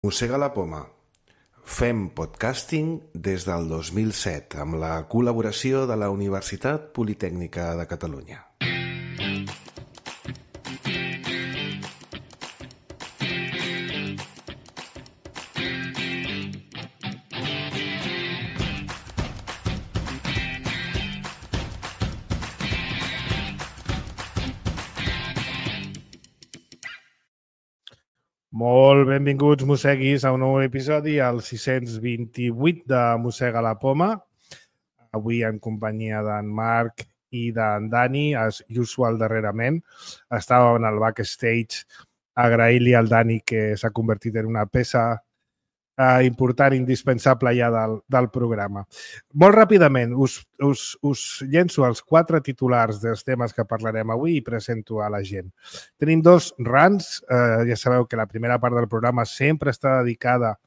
Mossega la poma. Fem podcasting des del 2007 amb la col·laboració de la Universitat Politècnica de Catalunya. Molt benvinguts, mosseguis, a un nou episodi, al 628 de Mossega la Poma. Avui en companyia d'en Marc i d'en Dani, as usual darrerament. Estàvem en el backstage agraint-li al Dani que s'ha convertit en una peça important, indispensable ja del programa. Molt ràpidament, us llenço els 4 titulars dels temes que parlarem avui i presento a la gent. Tenim 2 rants. Ja sabeu que la primera part del programa sempre està dedicada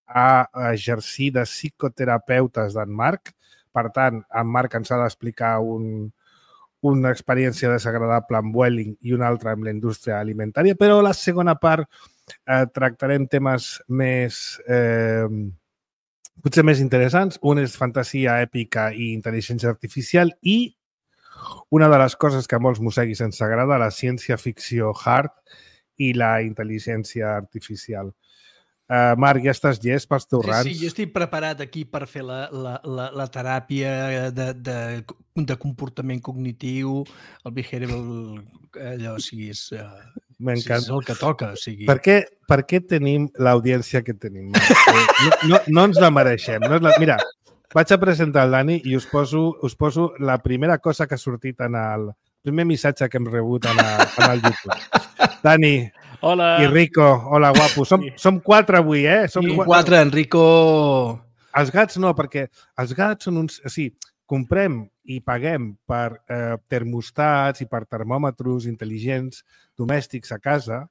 a exercir de psicoterapeutes d'en Marc. Per tant, en Marc ens ha d'explicar una experiència desagradable amb Vueling i una altra amb la indústria alimentària, però la segona part tractarem temes potser més interessants. Un és fantasia èpica i intel·ligència artificial i una de les coses que a molts mosseguis ens agrada, la ciència-ficció hard i la intel·ligència artificial. Marc, ja estàs llest pels teus rants? Sí, jo estic preparat aquí per fer la teràpia de comportament cognitiu, el behavioral, allò, o sigui, és el que toca. O sigui. Per què tenim l'audiència que tenim? No ens la mereixem. Mira, vaig a presentar el Dani i us poso la primera cosa que ha sortit en el primer missatge que hem rebut en el YouTube. Dani, hola. I Rico, hola, guapo. Som 4 avui, eh? Som 4, en Rico. Els gats no, perquè els gats són uns... O sigui, comprem i paguem per termostats i per termòmetres intel·ligents domèstics a casa,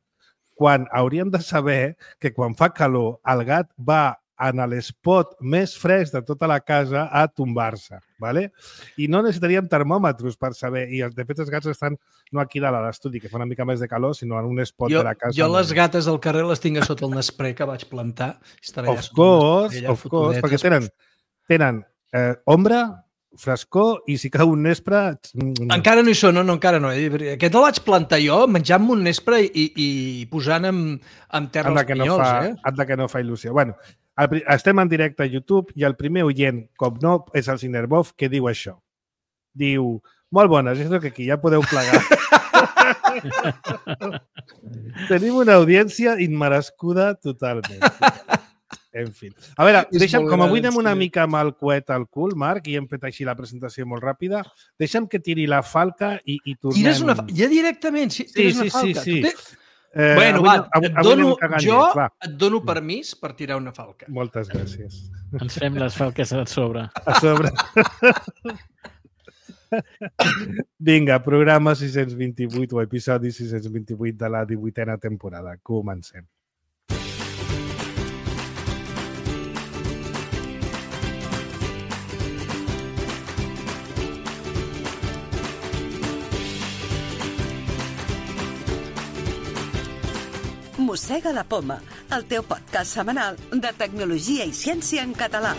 quan hauríem de saber que quan fa calor el gat va en l'espot més fresc de tota la casa a tombar-se, ¿vale? I no necessitaríem termòmetres per saber, i de fet els gats estan no aquí dalt a l'estudi, que fa una mica més de calor, sinó en un espot de la casa. Jo les gates del carrer les tinc a sota el Nespré que vaig plantar. Of course, perquè tenen ombra, frescor i si cau un nespre... Encara no hi són, no, encara no. Aquest el vaig plantar jo, menjant-me un nespre i posant amb terra els pinyols. Anda que no fa il·lusió. Bueno, estem en directe a YouTube i el primer oient, com no és el Cinerbov, que diu això. Diu, molt bones, és que aquí ja podeu plegar. Tenim una audiència immerescuda totalment. En fi. A veure, com avui anem una mica amb el coet al cul, Marc, i hem fet així la presentació molt ràpida, deixa'm que tiri la falca i tornem... Tires una falca? Ja directament? Tires una falca? Sí. Bueno, et dono permís per tirar una falca. Moltes gràcies. Ens fem les falques a sobre. A sobre. Vinga, programa 628 o episodi 628 de la 18a temporada. Comencem. Mossega la Poma, el teu podcast setmanal de tecnologia i ciència en català.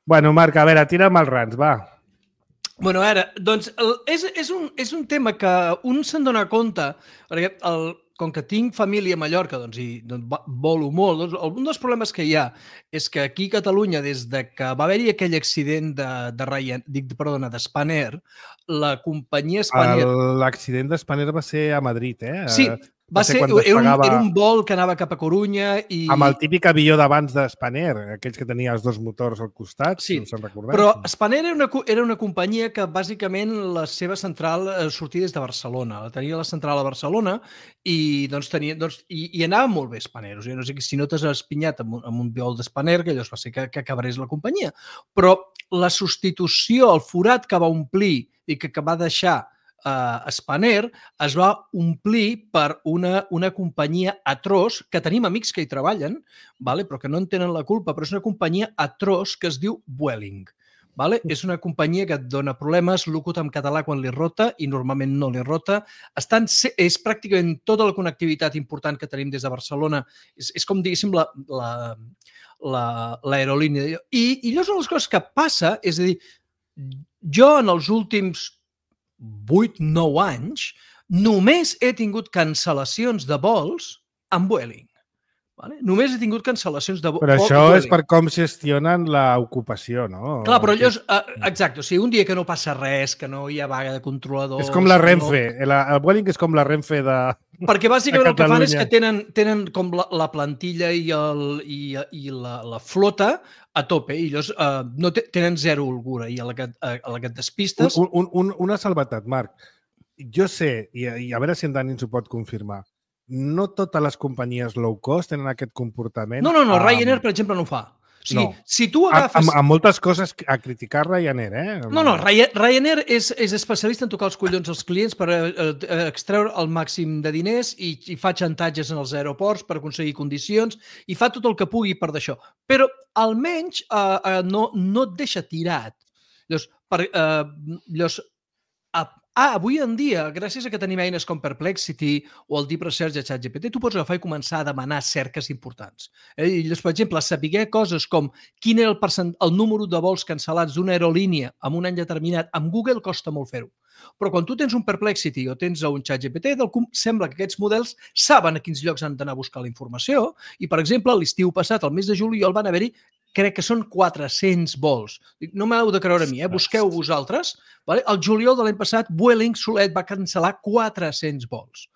Bueno, Marc, a veure, tira'm els rants, va. Bueno, ara, doncs, és un tema que un se'n dona compte, perquè com que tinc família a Mallorca volo molt, un dels problemes que hi ha és que aquí a Catalunya, des de que va haver-hi aquell accident de Spanair, la companyia Spanair... L'accident de Spanair va ser a Madrid, eh? Sí, era un vol que anava cap a Corunya i... Amb el típic avió d'abans de Spanair, aquells que tenia els 2 motors al costat, sí, si us en recordeu. Però Spanair era una companyia que bàsicament la seva central sortia des de Barcelona. Tenia la central a Barcelona i anava molt bé Spanair. O sigui, no sé si no t'has espinyat amb un vol de Spanair, que llavors va ser que acabarés la companyia. Però la substitució, el forat que va omplir i que va deixar Spanair es va omplir per una companyia atroç, que tenim amics que hi treballen, però que no en tenen la culpa, però és una companyia atroç que es diu Vueling. És una companyia que et dona problemes, locut en català quan li rota i normalment no li rota. És pràcticament tota la connectivitat important que tenim des de Barcelona. És com, diguéssim, l'aerolínia. I llavors una de les coses que passa és a dir, jo en els últims 8-9 anys només he tingut cancel·lacions de vols amb Vueling. Només he tingut cancel·lacions de vols. Però això és per com gestionen l'ocupació, no? Clar, però allò és... Exacte, o sigui, un dia que no passa res, que no hi ha vaga de controladors... És com la Renfe. El Vueling és com la Renfe de... Perquè bàsicament el que fan és que tenen com la plantilla i la flota a tope i llavors tenen zero holgura i a la que et despistes... Una salvetat, Marc. Jo sé, i a veure si en Dani ens ho pot confirmar, no totes les companyies low cost tenen aquest comportament. No, Ryanair, per exemple, no ho fa. O sigui, si tu agafes... Amb moltes coses a criticar Ryanair, eh? No, Ryanair és especialista en tocar els collons als clients per extreure el màxim de diners i fa xantatges en els aeroports per aconseguir condicions i fa tot el que pugui per d'això. Però almenys no et deixa tirat. Llavors, avui en dia, gràcies a que tenim eines com Perplexity o el Deep Research de ChatGPT, tu pots agafar i començar a demanar cerques importants. I llavors, per exemple, saber coses com quin era el número de vols cancel·lats d'una aerolínia en un any determinat, amb Google costa molt fer-ho. Però quan tu tens un Perplexity o tens un ChatGPT, sembla que aquests models saben a quins llocs han d'anar a buscar la informació i, per exemple, l'estiu passat, el mes de juliol, van haver-hi crec que són 400 vols. No m'heu de creure a mi, busqueu vosaltres. El juliol de l'any passat, Vueling solet va cancel·lar 400 vols.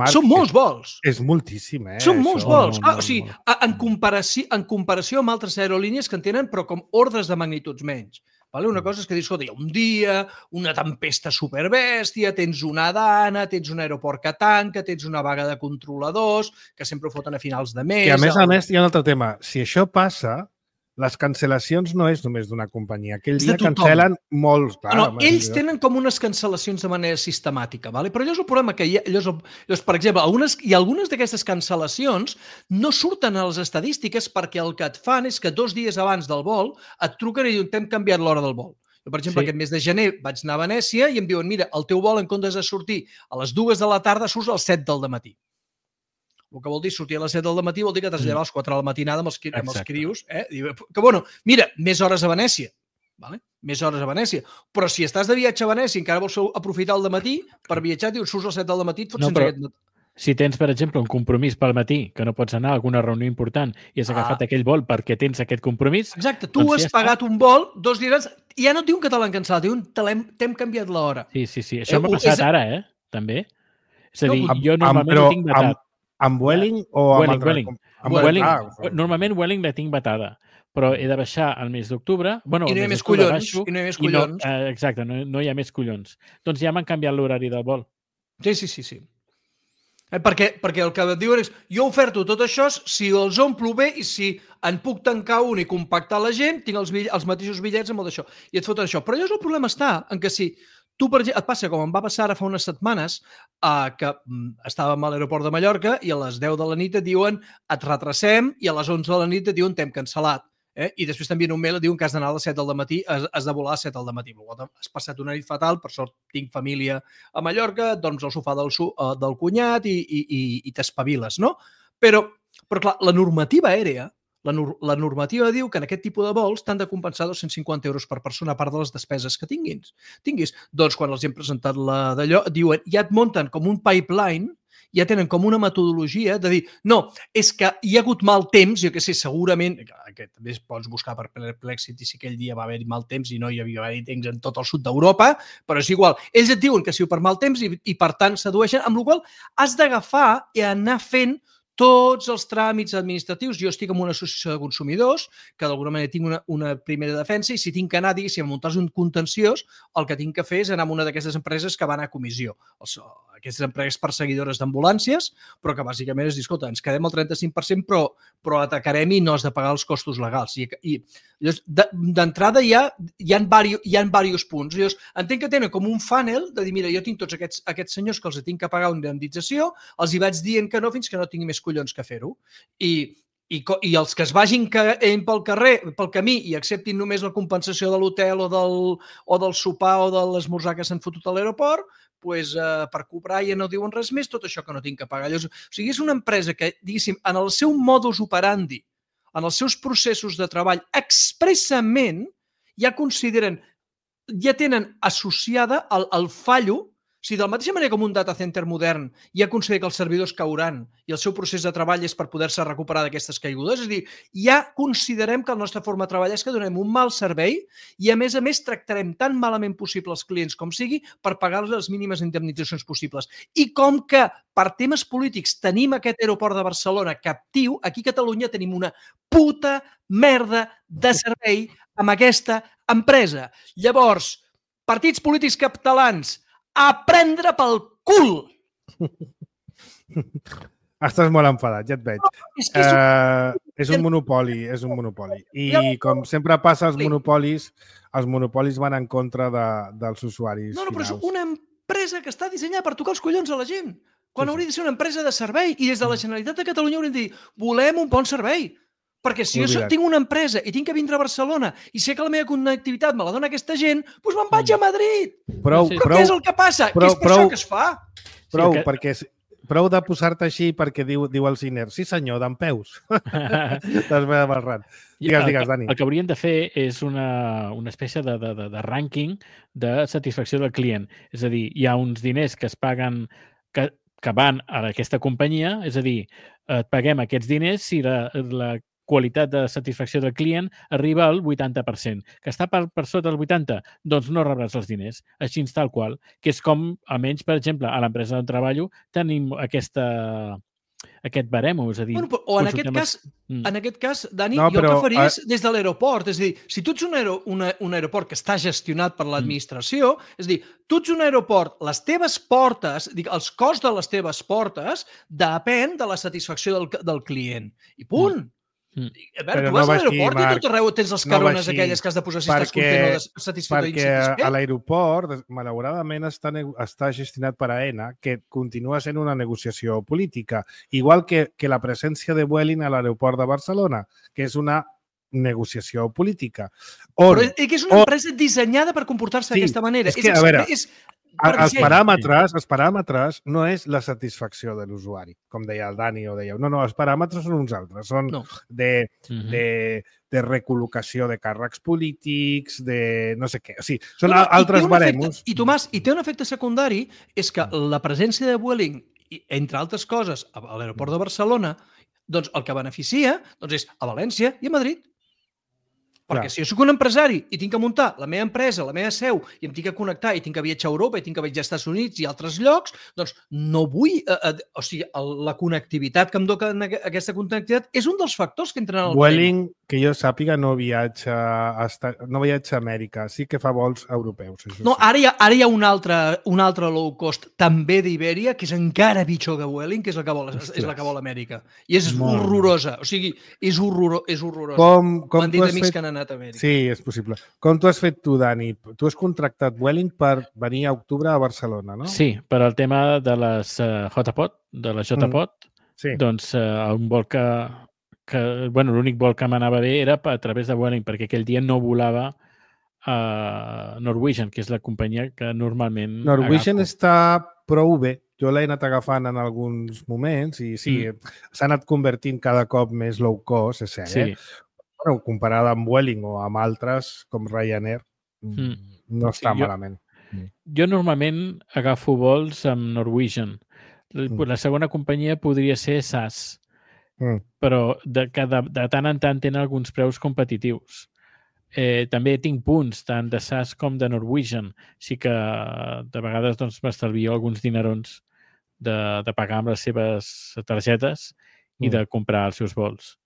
Són molts vols. És moltíssim, eh? Són molts vols. O sigui, en comparació amb altres aerolínies que en tenen, però com ordres de magnituds menys. Una cosa és que dius, escolta, hi ha un dia, una tempesta superbèstia, tens una dana, tens un aeroport que tanca, tens una vaga de controladors, que sempre ho foten a finals de mes... Que a més hi ha un altre tema. Si això passa, les cancel·lacions no és només d'una companyia. Aquell dia cancel·len molts. Ells tenen com unes cancel·lacions de manera sistemàtica, però allò és el problema que hi ha. Per exemple, algunes d'aquestes cancel·lacions no surten a les estadístiques perquè el que et fan és que 2 dies abans del vol et truquen i diuen t'hem canviat l'hora del vol. Jo, per exemple, aquest mes de gener vaig anar a Venècia i em diuen, mira, el teu vol en comptes de sortir a les 2 de la tarda surts a les 7 del matí. El que vol dir sortir a les 7 del matí vol dir que t'has llevat a les 4 de la matinada amb els crios. Que, bueno, mira, més hores a Venècia. Més hores a Venècia. Però si estàs de viatge a Venècia i encara vols aprofitar el matí per viatjar, dius, surts a les 7 del matí, et fots sense aquest... Si tens, per exemple, un compromís pel matí, que no pots anar a alguna reunió important i has agafat aquell vol perquè tens aquest compromís... Exacte, tu has pagat un vol 2 dies i ja no et diuen que te l'han cancel·lat, diuen t'hem canviat l'hora. Sí. Això m'ha passat ara, també. És a dir, jo normalment ho tinc vetat. Amb Vueling o amb Vueling? Normalment Vueling la tinc vetada, però he de baixar al mes d'octubre. I no hi ha més collons. Exacte, no hi ha més collons. Doncs ja m'han canviat l'horari del vol. Sí. Perquè el que et diuen és jo oferto tot això si els omplo bé i si en puc tancar un i compactar la gent, tinc els mateixos bitllets amb el d'això. I et foten això. Però llavors el problema està en que si tu, per exemple, et passa com em va passar ara fa unes setmanes que estàvem a l'aeroport de Mallorca i a les 10 de la nit et diuen et retracem i a les 11 de la nit et diuen t'hem cancel·lat. I després t'envien un mail i et diuen que has d'anar a les 7 del matí, has de volar a les 7 del matí. Has passat una nit fatal, per sort tinc família a Mallorca, dorms al sofà del cunyat i t'espaviles, no? Però clar, la normativa aèria, la normativa diu que en aquest tipus de vols t'han de compensar 250 euros per persona a part de les despeses que tinguis. Doncs quan els hem presentat d'allò, diuen, ja et munten com un pipeline, ja tenen com una metodologia de dir, no, és que hi ha hagut mal temps, jo que sé, segurament, que també pots buscar per Perplexity si aquell dia va haver-hi mal temps i no hi havia temps en tot el sud d'Europa, però és igual. Ells et diuen que ha sigut per mal temps i per tant sedueixen, amb la qual cosa has d'agafar i anar fent tots els tràmits administratius. Jo estic en una associació de consumidors, que d'alguna manera tinc una primera defensa, i si tinc que anar, diguéssim, a muntar un contenciós, el que tinc que fer és anar a una d'aquestes empreses que van a comissió. Aquestes empreses perseguidores d'ambulàncies, però que bàsicament és dir, escolta, ens quedem al 35%, però atacarem i no has de pagar els costos legals. I d'entrada hi ha diversos punts. Llavors, entenc que tenen com un funnel de dir, mira, jo tinc tots aquests senyors que els tinc que pagar una indemnització, els hi vaig dient que no fins que no tingui més collons que fer-ho. I els que es vagin pel carrer, pel camí, i acceptin només la compensació de l'hotel o del sopar o de l'esmorzar que s'han fotut a l'aeroport, doncs, per cobrar ja no diuen res més, tot això que no tinc que pagar. Llavors, o sigui, és una empresa que, diguéssim, en el seu modus operandi, en els seus processos de treball, expressament ja consideren, ja tenen associada el fallo. O sigui, de la mateixa manera com un data center modern ja considera que els servidors cauran i el seu procés de treball és per poder-se recuperar d'aquestes caigudes, és a dir, ja considerem que la nostra forma de treballar és que donem un mal servei i, a més, tractarem tan malament possible els clients com sigui per pagar-los les mínimes indemnitzacions possibles. I com que per temes polítics tenim aquest aeroport de Barcelona captiu, aquí a Catalunya tenim una puta merda de servei amb aquesta empresa. Llavors, partits polítics catalans, a prendre pel cul! Estàs molt enfadat, ja et veig. És un monopoli, és un monopoli. I com sempre passa als monopolis van en contra dels usuaris finals. No, però és una empresa que està dissenyada per tocar els collons a la gent. Quan hauria de ser una empresa de servei i des de la Generalitat de Catalunya hauríem de dir volem un bon servei. Perquè si jo tinc una empresa i tinc que vindre a Barcelona i sé que la meva connectivitat me la dona aquesta gent, doncs me'n vaig a Madrid. Però què és el que passa? Que és per això que es fa. Prou de posar-te així perquè diu el Ciner, sí senyor, dempeus. T'has veure barrat. Digues, Dani. El que hauríem de fer és una espècie de rànquing de satisfacció del client. És a dir, hi ha uns diners que es paguen que van a aquesta companyia, és a dir, et paguem aquests diners si la qualitat de satisfacció del client arriba al 80%. Que està per sota del 80%, doncs no rebràs els diners. Així tal qual. Que és com, almenys, per exemple, a l'empresa on treballo, tenim aquest baremo, és a dir... O en aquest cas, Dani, jo el que faria és des de l'aeroport. És a dir, si tu ets un aeroport que està gestionat per l'administració, és a dir, tu ets un aeroport, les teves portes, els costs de les teves portes depèn de la satisfacció del client. I punt. A veure, tu vas a l'aeroport i tot arreu tens les carones aquelles que has de posar si estàs content o satisfet o insatisfet. Perquè a l'aeroport, malauradament, està gestionat per AENA, que continua sent una negociació política, igual que la presència de Vueling a l'aeroport de Barcelona, que és una negociació política. Però que és una empresa dissenyada per comportar-se d'aquesta manera. És que, a veure, els paràmetres no és la satisfacció de l'usuari, com deia el Dani o dèieu. No, els paràmetres són uns altres. Són de recol·locació de càrrecs polítics, de no sé què. O sigui, són altres baremos. I, Tomàs, i té un efecte secundari, és que la presència de Vueling, entre altres coses, a l'aeroport de Barcelona, doncs el que beneficia és a València i a Madrid. Perquè si jo soc un empresari i tinc que muntar la meva empresa, la meva seu, i em tinc que connectar i tinc que viatjar a Europa i tinc que viatjar als Estats Units i altres llocs, doncs no vull... O sigui, la connectivitat que em dona aquesta connectivitat és un dels factors que entren al Vueling, que jo sàpiga, no viatja a Amèrica. Sí que fa vols europeus. No, ara hi ha un altre low cost, també d'Ibèria, que és encara pitjor que Vueling, que és la que vol Amèrica. I és horrorosa. O sigui, és horrorosa. Com tu has fet... Sí, és possible. Com tu has fet tu, Dani? Tu has contractat Vueling per venir a octubre a Barcelona, no? Sí, per al tema de les JPOT, de la JPOT, doncs un vol l'únic vol que m'anava bé era a través de Vueling, perquè aquell dia no volava Norwegian, que és la companyia que normalment Norwegian està prou bé. Jo l'he anat agafant en alguns moments i sí, s'ha anat convertint cada cop més low cost, és cert, Bueno, comparada amb Vueling o amb altres, com Ryanair, no està malament. Jo normalment agafo vols amb Norwegian. La segona companyia podria ser SAS, però de tant en tant tenen alguns preus competitius. També tinc punts, tant de SAS com de Norwegian. Sí que de vegades m'estalvio alguns dinerons de pagar amb les seves targetes i de comprar els seus vols.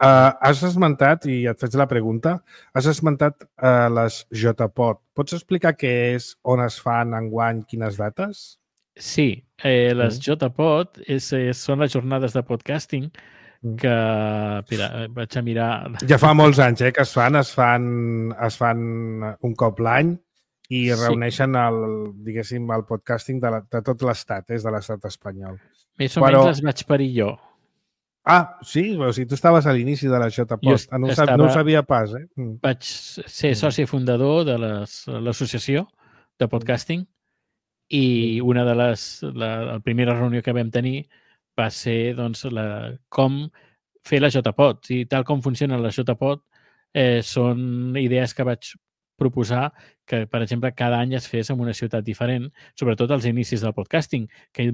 Has esmentat, i et faig la pregunta, has esmentat les JPod. Pots explicar què és, on es fan, enguany, quines dates? Sí, les JPod són les jornades de podcasting que, mira, vaig a mirar... Ja fa molts anys que es fan un cop l'any i reuneixen el podcasting de tot l'estat, de l'estat espanyol. Més o menys les vaig parir jo. Ah, sí? O sigui, tu estaves a l'inici de la JPod. No ho sabia pas, eh? Vaig ser soci fundador de l'associació de podcasting i una de la primera reunió que vam tenir va ser doncs, com fer la JPod. I tal com funcionen les JPod són idees que vaig proposar que, per exemple, cada any es fes en una ciutat diferent, sobretot als inicis del podcasting, que hi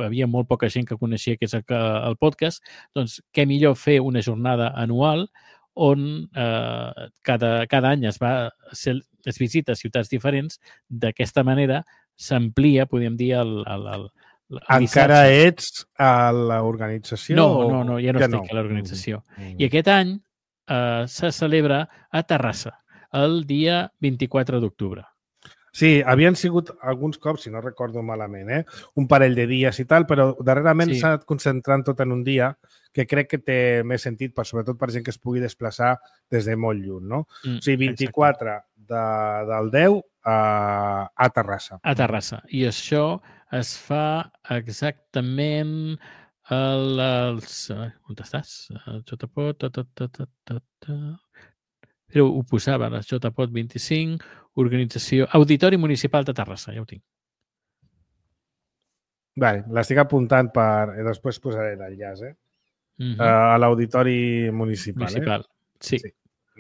havia molt poca gent que coneixia què és el podcast, doncs què millor fer una jornada anual on cada any es visita ciutats diferents. D'aquesta manera s'amplia, podríem dir, encara ets a l'organització? No, ja no estic a l'organització. I aquest any se celebra a Terrassa, el dia 24 d'octubre. Sí, havien sigut alguns cops, si no recordo malament, un parell de dies i tal, però darrerament s'ha anat concentrant tot en un dia que crec que té més sentit, sobretot per gent que es pugui desplaçar des de molt lluny, no? O sigui, 24 del 10 a Terrassa. A Terrassa. I això es fa exactament on estàs? Però ho posava, les JPod 25, organització, Auditori Municipal de Terrassa, ja ho tinc. Vale, l'estic apuntant després posaré l'enllaç, a l'Auditori Municipal. Sí.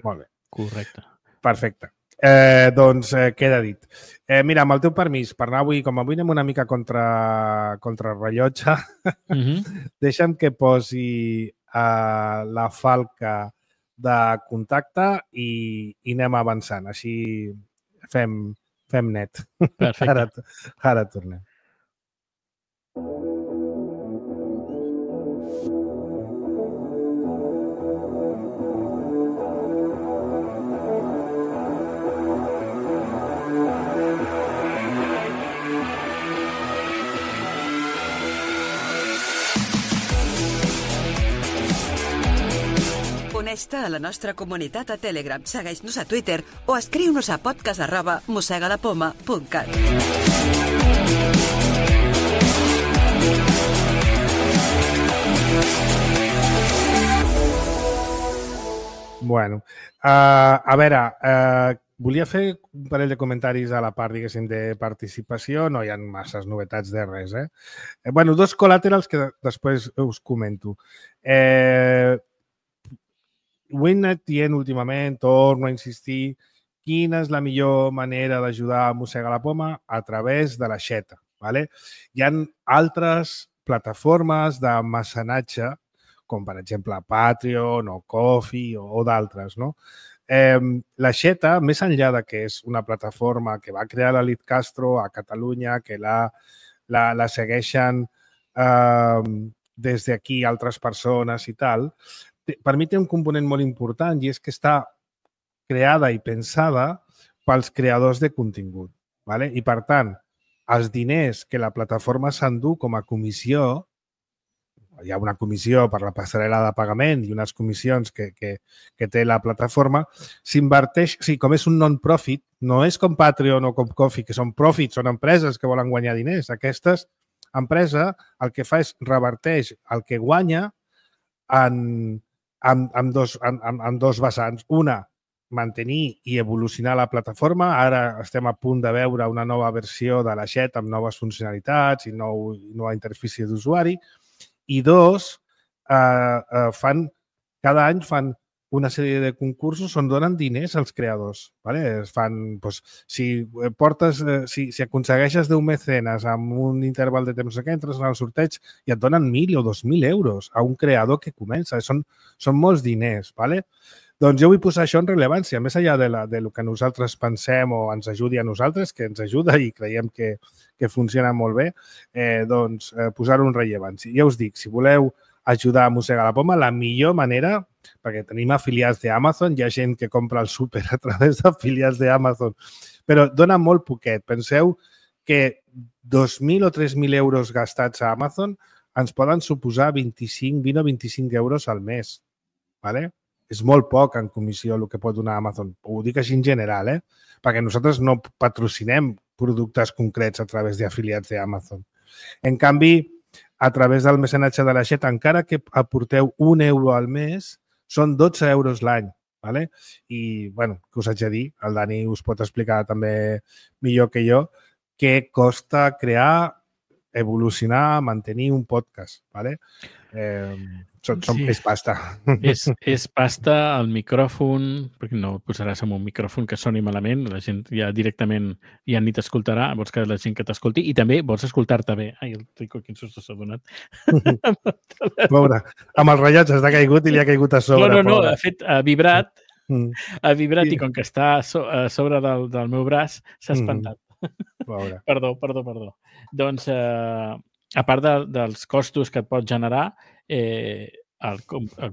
Molt bé. Correcte. Perfecte. Doncs queda dit. Mira, amb el teu permís, per anar avui, com avui anem una mica contra rellotge, deixa'm que posi la falca de contacte i anem avançant. Així fem net. Perfecte. Ara tornem. Uneix-te a la nostra comunitat a Telegram, segueix-nos a Twitter o escriu-nos a podcast@mosegalapoma.cat. Bueno, a veure, volia fer un parell de comentaris a la part, diguéssim, de participació. No hi ha masses novetats de res, Bueno, dos col·laterals que després us comento. Ho he anat dient últimament, torno a insistir, quina és la millor manera d'ajudar a Mossegar la Poma? A través de l'aixeta. Hi ha altres plataformes de mecenatge, com per exemple Patreon o Ko-fi o d'altres, no? L'aixeta, més enllà de que és una plataforma que va crear l'Elit Castro a Catalunya, que la segueixen des d'aquí altres persones i tal, per mi té un component molt important i és que està creada i pensada pels creadors de contingut. I, per tant, els diners que la plataforma s'endú com a comissió, hi ha una comissió per la passarel·la de pagament i unes comissions que té la plataforma, s'inverteix, o sigui, com és un non-profit, no és com Patreon o com Ko-fi, que són profits, són empreses que volen guanyar diners. Aquesta empresa el que fa és reverteix el que guanya en dos vessants. Una, mantenir i evolucionar la plataforma. Ara estem a punt de veure una nova versió de l'aixeta amb noves funcionalitats i nova interfície d'usuari. I dos, cada any fan una sèrie de concursos on donen diners als creadors. Si aconsegueixes 10 mecenes amb un interval de temps que entres en el sorteig i et donen 1.000 o 2.000 euros a un creador que comença. Són molts diners. Doncs jo vull posar això en rellevància, més enllà de lo que nosaltres pensem o ens ajudi a nosaltres, que ens ajuda i creiem que funciona molt bé, doncs posar-ho en rellevància. Ja us dic, si voleu ajudar a Mossegar la Poma, la millor manera, perquè tenim afiliats d'Amazon, hi ha gent que compra el súper a través d'afiliats d'Amazon, però dona molt poquet. Penseu que 2.000 o 3.000 euros gastats a Amazon ens poden suposar 20 o 25 euros al mes. ¿Vale? És molt poc en comissió el que pot donar Amazon. Ho dic així en general, perquè nosaltres no patrocinem productes concrets a través d'afiliats d'Amazon. En canvi, a través del mecenatge de la Xet, encara que aporteu 1 euro al mes, són 12 euros l'any. ¿Vale? I, bueno, què us haig de dir? El Dani us pot explicar també millor que jo què costa crear, evolucionar, mantenir un podcast. ¿Vale? És pasta. És pasta, el micròfon, perquè no posaràs en un micròfon que soni malament, la gent ja directament ja ni t'escoltarà, vols que la gent que t'escolti, i també vols escoltar-te bé. Ai, el Rico, quin susto s'ha donat. Pobre, amb els rellotges ha caigut i li ha caigut a sobre. No, de fet, ha vibrat i com que està a sobre del meu braç, s'ha espantat. Pobre. Perdó. Doncs, a part dels costos que et pot generar, al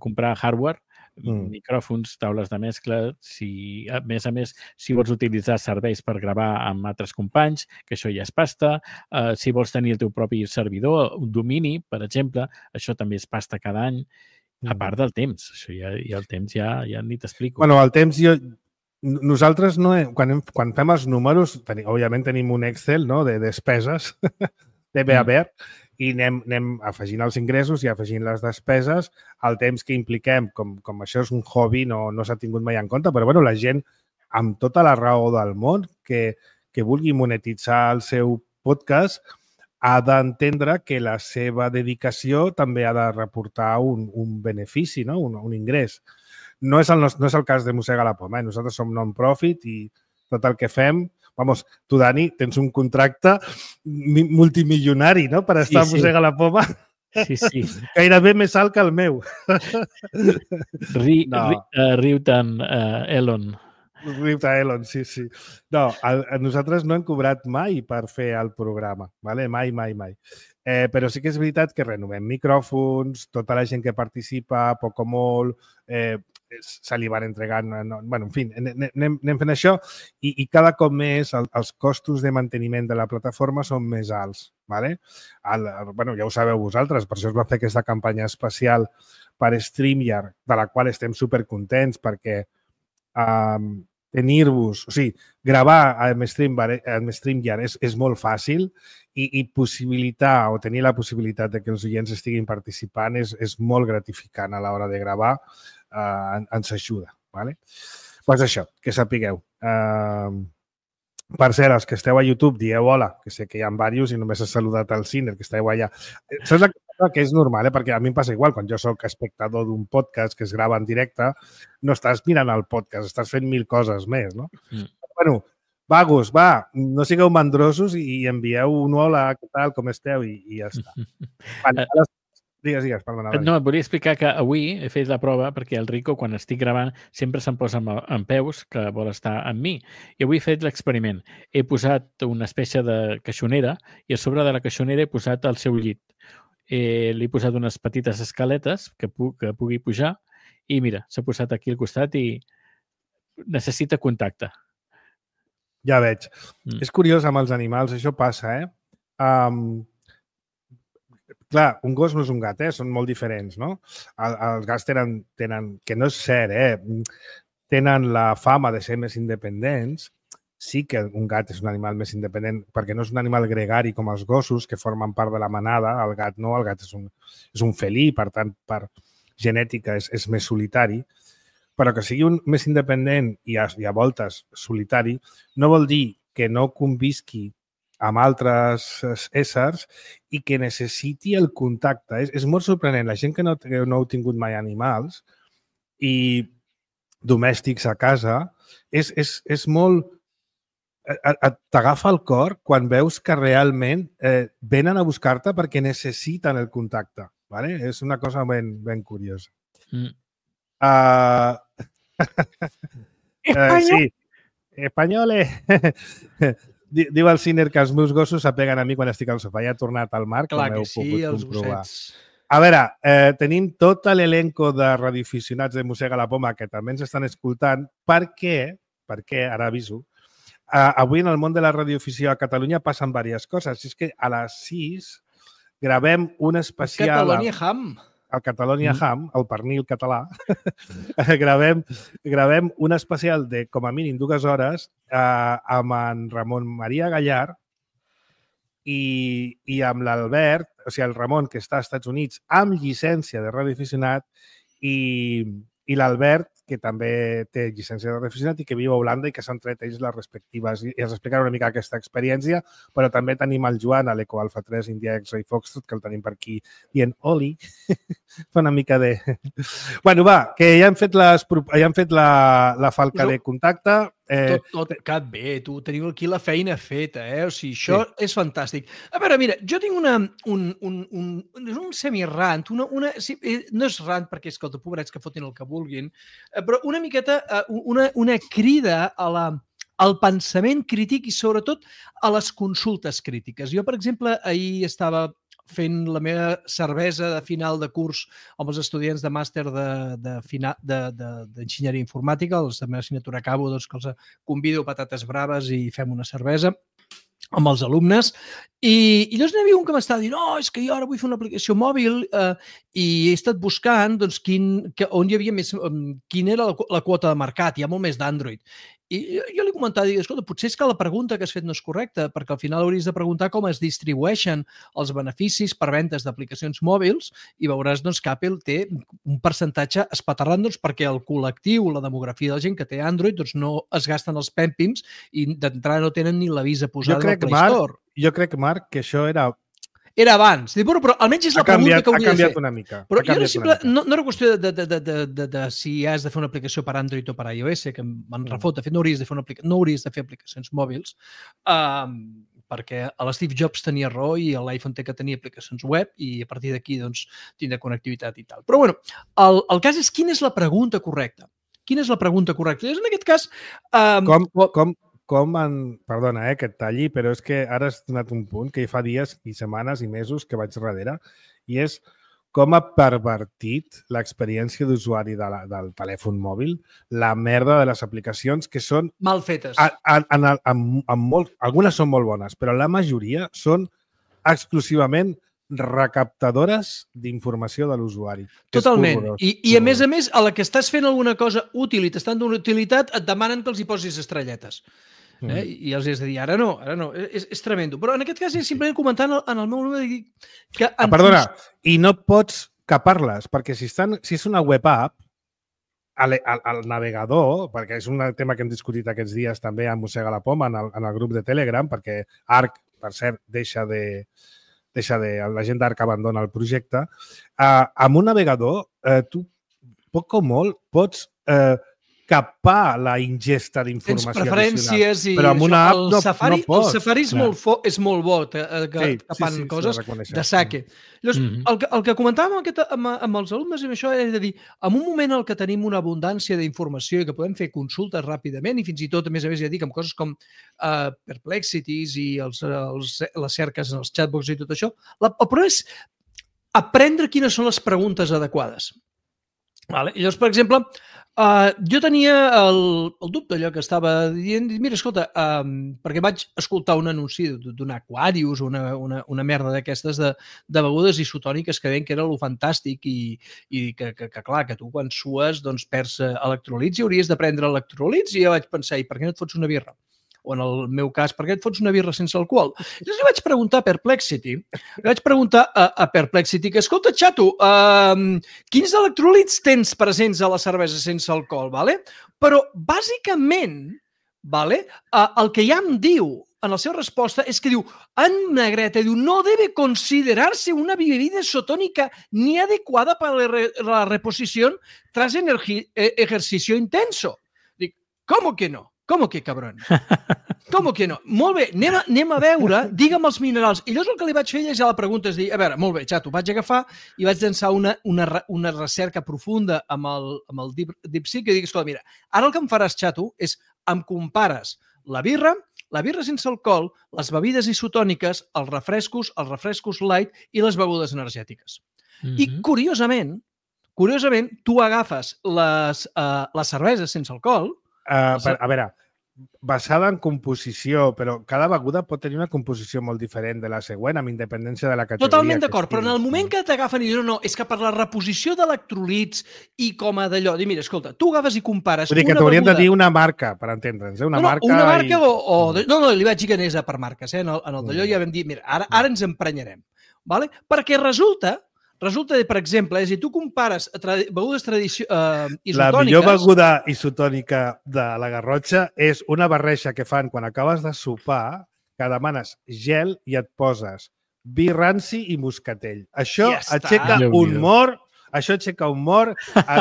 comprar hardware, micròfons, taules de mescla, a més, si vols utilitzar serveis per gravar amb altres companys, que això ja és pasta, si vols tenir el teu propi servidor, un domini, per exemple, això també és pasta cada any, a part del temps. Això ja el temps ja ni t'explico. Bueno, el temps nosaltres quan fem els números, òbviament tenim un Excel, no?, de despeses, de bé a bé, i anem afegint els ingressos i afegint les despeses. El temps que impliquem, com això és un hobby, no s'ha tingut mai en compte, però bueno, la gent, amb tota la raó del món, que vulgui monetitzar el seu podcast, ha d'entendre que la seva dedicació també ha de reportar un benefici, no? Un ingrés. No és el cas de Mossegar la Poma. Nosaltres som non-profit i tot el que fem... Vamos, tu, Dani, tens un contracte multimilionari, no?, per estar a Mossegar la Poma. Sí. Gairebé més alt que el meu. Riu-te'n, Elon. Riu-te, Elon, sí. No, nosaltres no hem cobrat mai per fer el programa, ¿vale? Mai. Però sí que és veritat que renovem micròfons, tota la gent que participa, poc o molt, se li van entregant... Bueno, en fi, anem fent això i cada cop més els costos de manteniment de la plataforma són més alts. ¿Vale? Bueno, ja ho sabeu vosaltres, per això es va fer aquesta campanya especial per StreamYard, de la qual estem supercontents perquè tenir-vos, o sigui, gravar amb StreamYard és molt fàcil i possibilitar o tenir la possibilitat de que els oients estiguin participant és molt gratificant a l'hora de gravar, ens ajuda. ¿Vale? Doncs això, que sapigueu. Per cert, els que esteu a YouTube, dieu hola, que sé que hi ha diversos i només he saludat al Ciner, que esteu allà. Saps la cosa que és normal, perquè a mi em passa igual, quan jo soc espectador d'un podcast que es grava en directe, no estàs mirant el podcast, estàs fent 1000 coses més, no? Bueno, vagos, va, no sigueu mandrosos i envieu un hola, què tal, com esteu, i ja està. Digues, perdona. No, et volia explicar que avui he fet la prova perquè el Rico, quan estic gravant, sempre se'm posa en peus, que vol estar amb mi. I avui he fet l'experiment. He posat una espècie de caixonera i a sobre de la caixonera he posat el seu llit. Li he posat unes petites escaletes que pugui pujar i mira, s'ha posat aquí al costat i necessita contacte. Ja veig. És curiós amb els animals, això passa, Clar, un gos no és un gat, són molt diferents, no? Els gats tenen, que no és cert, tenen la fama de ser més independents. Sí que un gat és un animal més independent perquè no és un animal gregari com els gossos que formen part de la manada. El gat no, el gat és un felí, per tant, per genètica és més solitari. Però que sigui un més independent i a voltes solitari no vol dir que no convisqui amb altres éssers i que necessiti el contacte. És molt sorprenent. La gent que no heu tingut mai animals i domèstics a casa, és molt... T'agafa el cor quan veus que realment venen a buscar-te perquè necessiten el contacte. ¿Vale? És una cosa ben curiosa. Sí, espanyoles. Diu el Ciner que els meus gossos s'apeguen a mi quan estic al sofà. Ja ha tornat al Marc, Clar com que heu sí, pogut els comprovar. gossets. A veure, tenim tot l'elenco de radioaficionats de Mossega la Poma que també ens estan escoltant perquè, ara aviso, avui en el món de la radioafició a Catalunya passen diverses coses. És que a les 6 gravem un especial... Catalonia Ham. El Catalonia Ham, el pernil català, gravem un especial de, com a mínim, 2 hores amb en Ramon Maria Gallar i amb l'Albert, o sigui, el Ramon, que està als Estats Units amb llicència de radioaficionat, i l'Albert, que també té llicència de radioaficionat i que viu a Holanda i que s'han tret ells les respectives. I ens explicarà una mica aquesta experiència, però també tenim el Joan, a l'Eco Alfa 3, India X-Ray Foxtrot, que el tenim per aquí dient Oli. Fa una mica de... Bueno, va, que ja hem fet la falca de contacte. Tot cap bé, tu teniu aquí la feina feta, O sigui, això és fantàstic. A veure, mira, jo tinc un semi-rant, sí, no és rant perquè, escolta, pobrets que fotin el que vulguin, però una miqueta, una crida al pensament crític i sobretot a les consultes crítiques. Jo, per exemple, ahir estava fent la meva cervesa de final de curs amb els estudiants de màster d'enginyeria informàtica, la meva assignatura acabo, doncs que els convido a patates braves i fem una cervesa amb els alumnes. I llavors n'hi havia un que m'estava dient és que jo ara vull fer una aplicació mòbil i he estat buscant doncs, on hi havia més, quina era la quota de mercat. Hi ha molt més d'Android. I jo li comentava, escolta, potser és que la pregunta que has fet no és correcta, perquè al final hauries de preguntar com es distribueixen els beneficis per ventes d'aplicacions mòbils i veuràs doncs, que Apple té un percentatge espaterrant perquè el col·lectiu, la demografia de la gent que té Android doncs, no es gasten els pèmpims i d'entrada no tenen ni la visa posada al Play Store. Jo crec, Marc, que això era abans. Però almenys és la pregunta que hauria de fer. Ha canviat una mica. Però no era qüestió de si has de fer una aplicació per Android o per iOS, que em refot. De fet, no hauries de fer aplicacions mòbils perquè l'Steve Jobs tenia raó i l'iPhone té que tenir aplicacions web i a partir d'aquí doncs, tindrà connectivitat i tal. Però bueno, el cas és quina és la pregunta correcta. Quina és la pregunta correcta? En aquest cas... Perdona, que et talli, però és que ara has donat un punt que fa dies i setmanes i mesos que vaig darrere i és com ha pervertit l'experiència d'usuari del telèfon mòbil la merda de les aplicacions que són... mal fetes. Algunes són molt bones, però la majoria són exclusivament recaptadores d'informació de l'usuari. Totalment. I a més, a la que estàs fent alguna cosa útil i t'estan donant utilitat, et demanen que els hi posis estrelletes. I els has de dir, ara no. És tremendo. Però en aquest cas, simplement comentant en el meu número que... Perdona, i no pots capar-les, perquè si és una web app, al navegador, perquè és un tema que hem discutit aquests dies també a Mossega la Poma en el grup de Telegram, perquè Arc, per cert, la gent d'Arc abandona el projecte. Amb un navegador, tu poc o molt pots capar la ingesta d'informació addicional. Tens preferències i... Però amb una app no pots. El Safari és molt bo capant coses de saque. Llavors, el que comentàvem amb els alumnes i amb això és de dir, en un moment en què tenim una abundància d'informació i que podem fer consultes ràpidament i fins i tot, a més ja dic, amb coses com Perplexities i les cerques en els chatbots i tot això, el problema és aprendre quines són les preguntes adequades. Llavors, per exemple, jo tenia el dubte allò que estava dient, mira, escolta, perquè vaig escoltar un anunci d'un Aquarius o una merda d'aquestes de begudes isotòniques que deien que era lo fantàstic i que clar, que tu quan sues doncs perds electrolits i hauries de prendre electrolits i jo vaig pensar, i per què no et fots una birra? O en el meu cas, per què et fots una birra sense alcohol? Llavors li vaig preguntar a Perplexity, que, escolta, xato, quins electròlits tens presents a la cervesa sense alcohol? Però, bàsicament, el que ja em diu en la seva resposta és que diu, en negreta, diu, no debe considerarse una bebida isotónica ni adecuada para la reposición tras ejercicio intenso. Dic, ¿cómo que no? Com que cabrón? Com que no? Molt bé, anem a veure, digue'm els minerals. I llavors el que li vaig fer és ja la pregunta, és dir, a veure, molt bé, xato, vaig agafar i vaig llançar una recerca profunda amb el DeepSeek i dic, escolta, mira, ara el que em faràs, xato, és em compares la birra sense alcohol, les bebides isotòniques, els refrescos light i les begudes energètiques. I curiosament, tu agafes les cerveses sense alcohol. A veure, basada en composició, però cada beguda pot tenir una composició molt diferent de la següent, amb independència de la categoria. Totalment d'acord, però en el moment que t'agafen i diuen no, és que per la reposició d'electrolits i com a d'allò, dir, mira, escolta, tu agafes i compares una beguda... Vull dir que t'hauríem de dir una marca, per entendre'ns, una marca... Una marca No, li vaig dir que anés per marques, En el d'allò ja vam dir, mira, ara ens emprenyarem, ¿vale? Perquè resulta, per exemple, si tu compares begudes isotòniques... La millor beguda isotònica de la Garrotxa és una barreja que fan quan acabes de sopar, que demanes gel i et poses vi ranci i moscatell. Això aixeca un mort,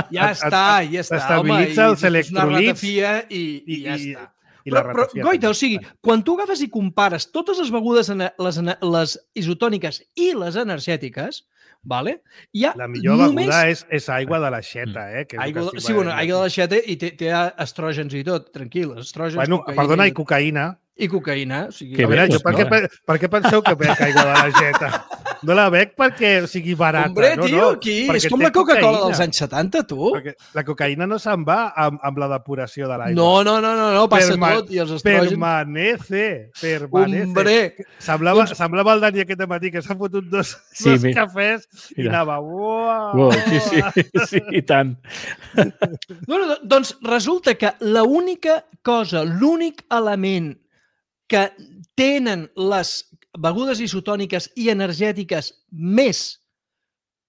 t'estabilitza els electrolits i ja està. Però, Goita, o sigui, quan tu agafes i compares totes les begudes, les isotòniques i les energètiques, vale? La millor beguda és aigua de l'aixeta, aigua de l'aixeta i té estrògens i tot, tranquil. Perdona, i cocaïna. I cocaïna. Per què penseu que bec aigua de l'aixeta? No la bec perquè sigui barata. Hombre, tio, aquí és com la Coca-Cola dels anys 70, tu. Perquè la cocaïna no se'n va amb la depuració de l'aigua. No, passa tot. I els estrògens... Permanece. Hombre. Semblava el Dani aquest matí que s'ha fotut dos cafès i anava... Sí, i tant. Doncs resulta que l'única cosa, l'únic element que tenen les begudes isotòniques i energètiques més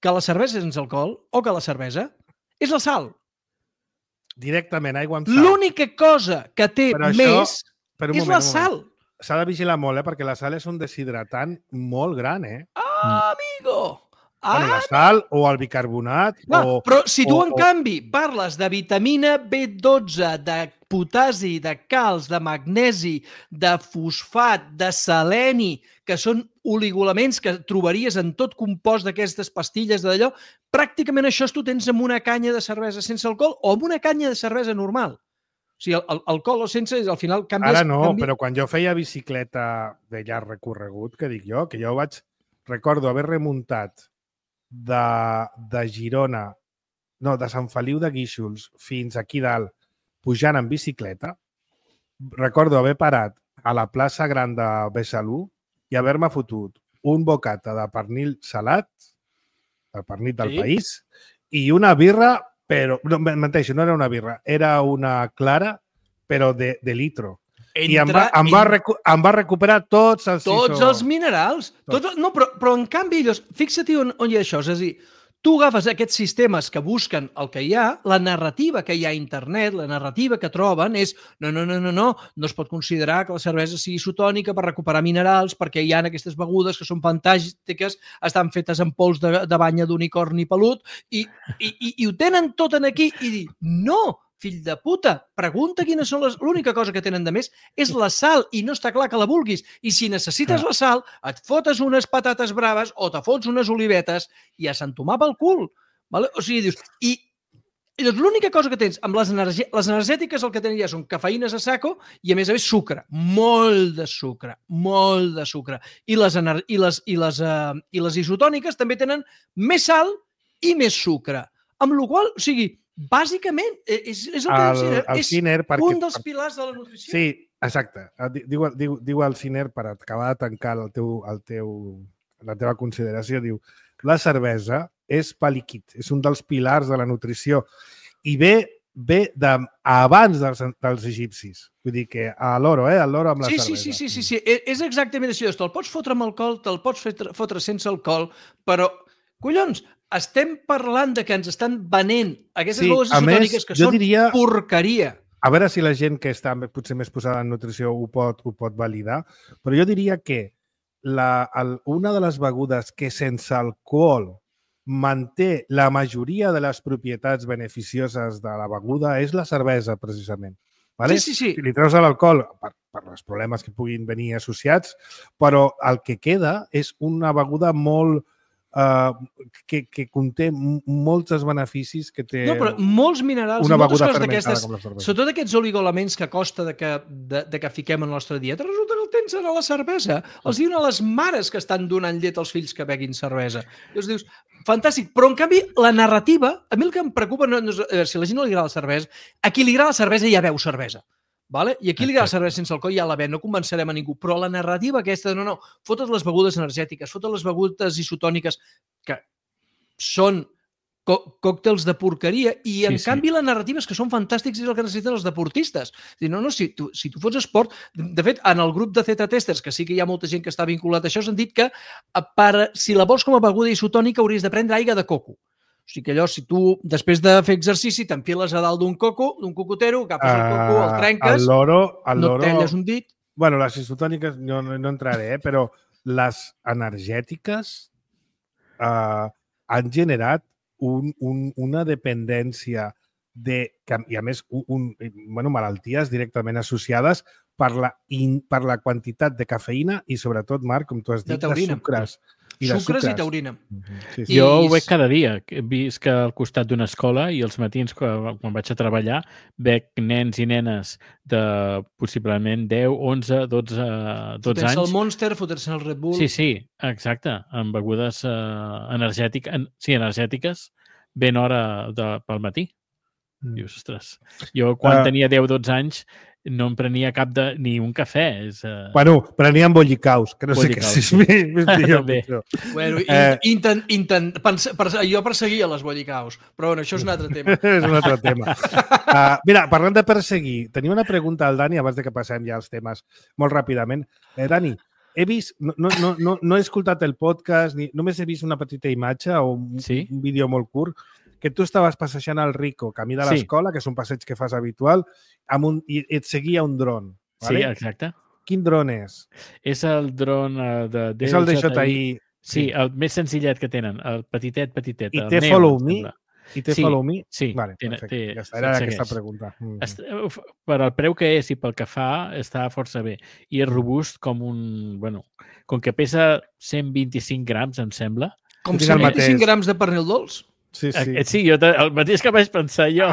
que la cervesa sense alcohol o que la cervesa és la sal. Directament, aigua amb sal. L'única cosa que té més és la sal. S'ha de vigilar molt, perquè la sal és un deshidratant molt gran, Amigo! La sal o el bicarbonat... Però si tu, en canvi, parles de vitamina B12, de potasi, de calç, de magnesi, de fosfat, de seleni, que són oligoelements que trobaries en tot compost d'aquestes pastilles d'allò, pràcticament això tu tens amb una canya de cervesa sense alcohol o amb una canya de cervesa normal. O sigui, alcohol o sense, al final canvies... Ara no, però quan jo feia bicicleta de llarg recorregut, que dic jo, que jo recordo haver remuntat de Girona, no, de Sant Feliu de Guíxols fins aquí dalt, pujant en bicicleta, recordo haver parat a la plaça Gran de Besalú i haver-me fotut un bocata de pernil salat, el pernil del país, i una birra, però, no, menteixo, no era una birra, era una clara, però de litro. I em va recuperar tots els minerals. Però en canvi, fixa't on hi ha això. És a dir, tu agafes aquests sistemes que busquen el que hi ha, la narrativa que hi ha a internet, la narrativa que troben és no es pot considerar que la cervesa sigui isotònica per recuperar minerals perquè hi ha aquestes begudes que són fantàstiques, estan fetes amb pols de banya d'unicorni pelut i ho tenen tot aquí i dir, no, fill de puta, pregunta quines són l'única cosa que tenen de més és la sal i no està clar que la vulguis. I si necessites la sal, et fotes unes patates braves o te fots unes olivetes i a s'entomar pel cul. Vale? O sigui, dius... I l'única cosa que tens amb les energètiques el que tenen ja són cafeïnes a saco i a més sucre, molt de sucre. I les isotòniques també tenen més sal i més sucre. Amb la qual cosa, o sigui, bàsicament, és el que és un dels pilars de la nutrició. Sí, exacte. Diu el Ciner, per acabar de tancar la teva consideració, diu la cervesa és pa líquid, és un dels pilars de la nutrició i ve abans dels egipcis. Vull dir que a l'oro, l'oro amb la cervesa. Sí. És exactament així. Te'l pots fotre amb alcohol, te'l pots fotre sense alcohol, però, collons, estem parlant de que ens estan venent aquestes begudes isotòniques que són porqueria. A veure si la gent que està potser més posada en nutrició ho pot validar, però jo diria que una de les begudes que sense alcohol manté la majoria de les propietats beneficioses de la beguda és la cervesa, precisament. Vale? Sí. Si li treus l'alcohol per els problemes que puguin venir associats, però el que queda és una beguda molt que conté molts beneficis que té No, però molts minerals una i moltes beguda coses fermentada d'aquestes, com la cervesa. sobretot aquests oligoelements que costa de que fiquem en la nostra dieta, resulta que el tens a la cervesa. Els diuen a les mares que estan donant llet als fills que beguin cervesa. I els dius, fantàstic, però en canvi la narrativa, a mi el que em preocupa no és si a la gent no li agrada la cervesa, a qui li agrada la cervesa ja beu cervesa. Vale? I aquí li agrada la cervesa sense alcohol ja la ven, no convencerem a ningú, però la narrativa aquesta de no, fotes les begudes energètiques, fotes les begudes isotòniques, que són còctels de porqueria i en canvi la narrativa és que són fantàstics i és el que necessiten els deportistes. Si tu fots esport... De fet, en el grup de Z-testers, que sí que hi ha molta gent que està vinculat a això, s'han dit que si la vols com a beguda isotònica hauries de prendre aigua de coco. O sigui que allò, si tu, després de fer exercici, t'enfiles a dalt d'un cocotero, agafes el coco, el trenques, no et talles un dit... Bueno, les isotòniques no entraré, però les energètiques han generat una dependència i a més malalties directament associades per la quantitat de cafeïna i sobretot, Marc, com tu has dit, de sucres. Sucres i taurina. Sí. Jo ho veig cada dia. Visc al costat d'una escola i els matins, quan vaig a treballar, veig nens i nenes de possiblement 10, 11, 12 anys. Fotent-se el Monster, fotent-se el Red Bull... Sí, exacte. Amb begudes energètiques ben hora pel matí. Dius, ostres, jo quan tenia 10-12 anys no em prenia ni un cafè. Bueno, prenia bollicaus, que no sé què és més millor. Bueno, jo perseguia les bollicaus, però bueno, això és un altre tema. És un altre tema. Mira, parlant de perseguir, tenia una pregunta al Dani, abans de que passem ja als temes molt ràpidament. Dani, he vist, no he escoltat el podcast, només he vist una petita imatge o un vídeo molt curt, que tu estaves passejant al Rico, camí de l'escola, que és un passeig que fas habitual, i et seguia un dron. Sí, exacte. Quin dron és? És el dron de DJI. És el DJI. Sí, el més senzillet que tenen, el petitet. I té Follow Me? I té Follow Me? Sí. Vale, perfecte. Ja està, era aquesta pregunta. Per al preu que és i pel que fa, està força bé. I és robust com com que pesa 125 grams, em sembla. Com 125 grams de pernil dolç. Sí, el mateix que vaig pensar jo.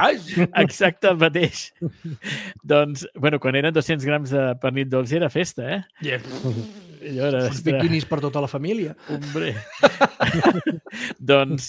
Exacte, el mateix. Doncs, quan eren 200 grams de pernil dolç era festa, eh? Uns biquinis per tota la família. Hombre. Doncs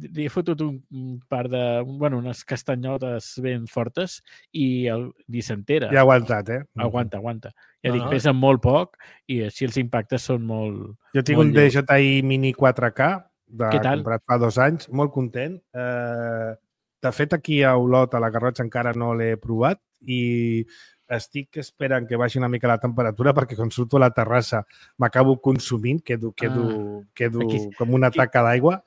li he fotut un par de... unes castanyotes ben fortes i li s'entera. I ha aguantat, eh? Aguanta. Ja dic, pesa molt poc i així els impactes són molt... Jo tinc un DJI Mini 4K comprat fa 2 anys, molt content. De fet, aquí a Olot, a la Garrotxa, encara no l'he provat i estic esperant que baixi una mica la temperatura perquè quan surto a la terrassa m'acabo consumint, quedo com una taca d'aigua.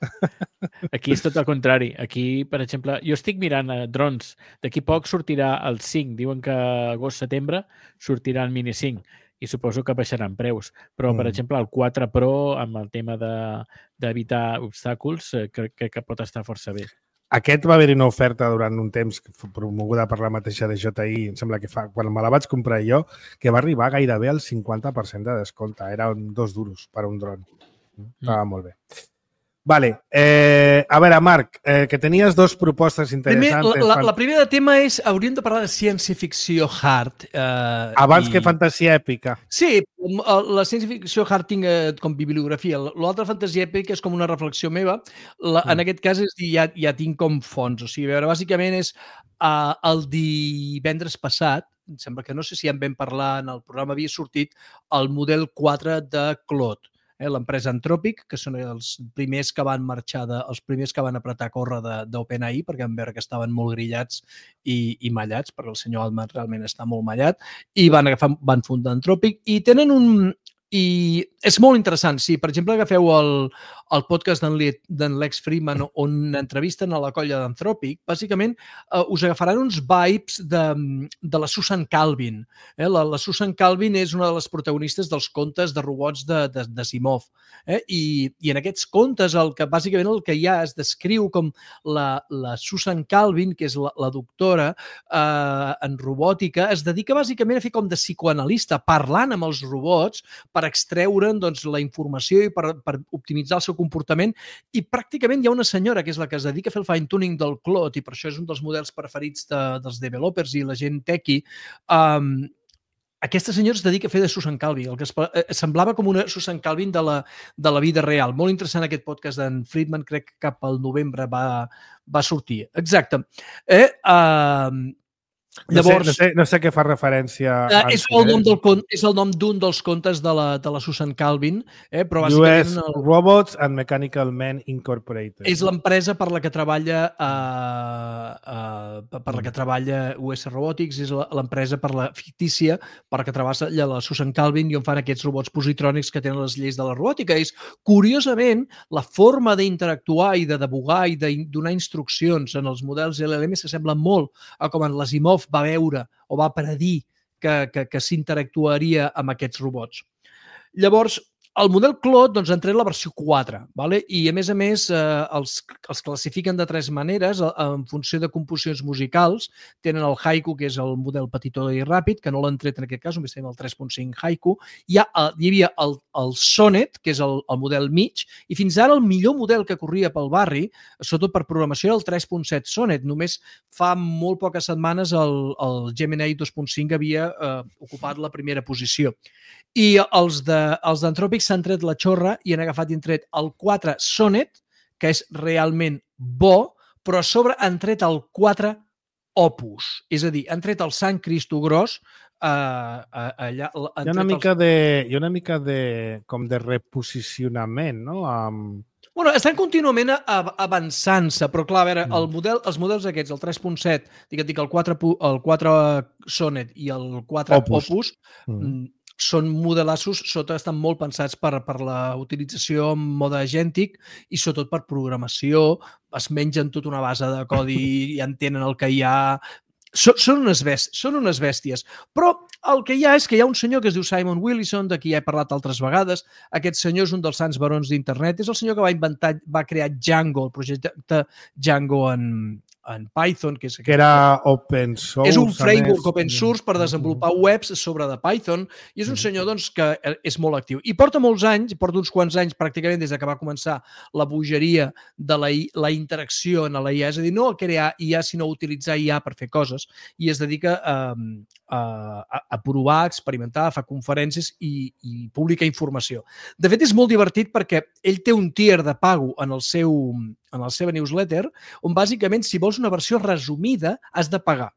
Aquí és tot el contrari. Aquí, per exemple, jo estic mirant drons. D'aquí poc sortirà el 5. Diuen que agost-setembre sortirà el Mini 5. I suposo que baixaran preus. Però, per exemple, el 4 Pro, amb el tema d'evitar obstacles, crec que pot estar força bé. Aquest va haver-hi una oferta durant un temps promoguda per la mateixa DJI, em sembla que quan me la vaig comprar jo, que va arribar gairebé al 50% de descompte. Eren 2 duros per un dron. Estava molt bé. Vale. A veure, Marc, que tenies 2 propostes interessants. La primera tema és, hauríem de parlar de ciència-ficció hard. Abans que fantasia èpica. Sí, la ciència-ficció hard tinc com bibliografia. L'altra fantasia èpica és com una reflexió meva. En aquest cas ja tinc com fons. O sigui, a veure, bàsicament és el divendres passat, em sembla que no sé si en vam parlar en el programa, havia sortit el model 4 de Claude. L'empresa Anthropic, que són els primers que van marxar, els primers que van apretar a córrer d'OpenAI, perquè van veure que estaven molt grillats i mallats, perquè el senyor Altman realment està molt mallat, i van fundar Anthropic, i tenen I és molt interessant, sí. Per exemple, agafeu el podcast d'en Lex Fridman on entrevisten a la colla d'Anthropic. Bàsicament, us agafaran uns vibes de la Susan Calvin. La Susan Calvin és una de les protagonistes dels contes de robots d'Asimov. I en aquests contes, bàsicament el que hi ha es descriu com la Susan Calvin, que és la doctora en robòtica, es dedica bàsicament a fer com de psicoanalista, parlant amb els robots per extreure'n la informació i per optimitzar el seu comportament. I pràcticament hi ha una senyora que és la que es dedica a fer el fine-tuning del Claude, i per això és un dels models preferits dels developers i la gent techie. Aquesta senyora es dedica a fer de Susan Calvin, el que semblava com una Susan Calvin de la vida real. Molt interessant aquest podcast d'en Fridman, crec que cap al novembre va sortir. Exacte. Llavors, no sé què fa referència. És el nom d'un dels contes de la Susan Calvin, però bàsicament... US Robots and Mechanical Men Incorporated. És l'empresa per la que treballa US Robotics, és l'empresa fictícia per la que treballa la Susan Calvin i on fan aquests robots positrònics que tenen les lleis de la robòtica. És, curiosament, la forma d'interactuar i de debugar i de donar instruccions en els models LLM s'assembla molt a com en l'Asimov va veure o va predir que s'interactuaria amb aquests robots. Llavors, el model Claude ha tret la versió 4, i a més els classifiquen de 3 maneres en funció de composicions musicals. Tenen el Haiku, que és el model petitó i ràpid, que no l'han tret en aquest cas, només tenim el 3.5 Haiku. Hi havia el Sonnet, que és el model mig, i fins ara el millor model que corria pel barri, sobretot per programació, era el 3.7 Sonnet. Només fa molt poques setmanes el Gemini 2.5 havia ocupat la primera posició. I els d'Anthropic s'han tret la xorra i han agafat i han tret el 4 Sonnet, que és realment bo, però a sobre han tret el 4 Opus. És a dir, han tret el Sant Cristo gros allà... Hi ha una mica de reposicionament, no? Bueno, estan contínuament avançant-se, però clar, a veure, els models aquests, el 3.7, el 4 Sonnet i el 4 Opus són modelassos, estan molt pensats per la utilització en mode agèntic i sobretot per programació. Es mengen tota una base de codi i entenen el que hi ha. Són unes bèsties. Però el que hi ha és que hi ha un senyor que es diu Simon Willison, de qui ja he parlat altres vegades. Aquest senyor és un dels sants barons d'internet. És el senyor que va crear Django, el projecte Django en Python. Que era open source. És un framework open source per desenvolupar webs sobre de Python i és un senyor que és molt actiu. I porta molts anys, porta uns quants anys pràcticament des que va començar la bogeria de la interacció en la IA, és a dir, no a crear IA, sinó a utilitzar IA per fer coses, i es dedica a provar, a experimentar, a fer conferències i publicar informació. De fet, és molt divertit perquè ell té un tier de pago en la seva newsletter, on bàsicament, si vols una versió resumida, has de pagar.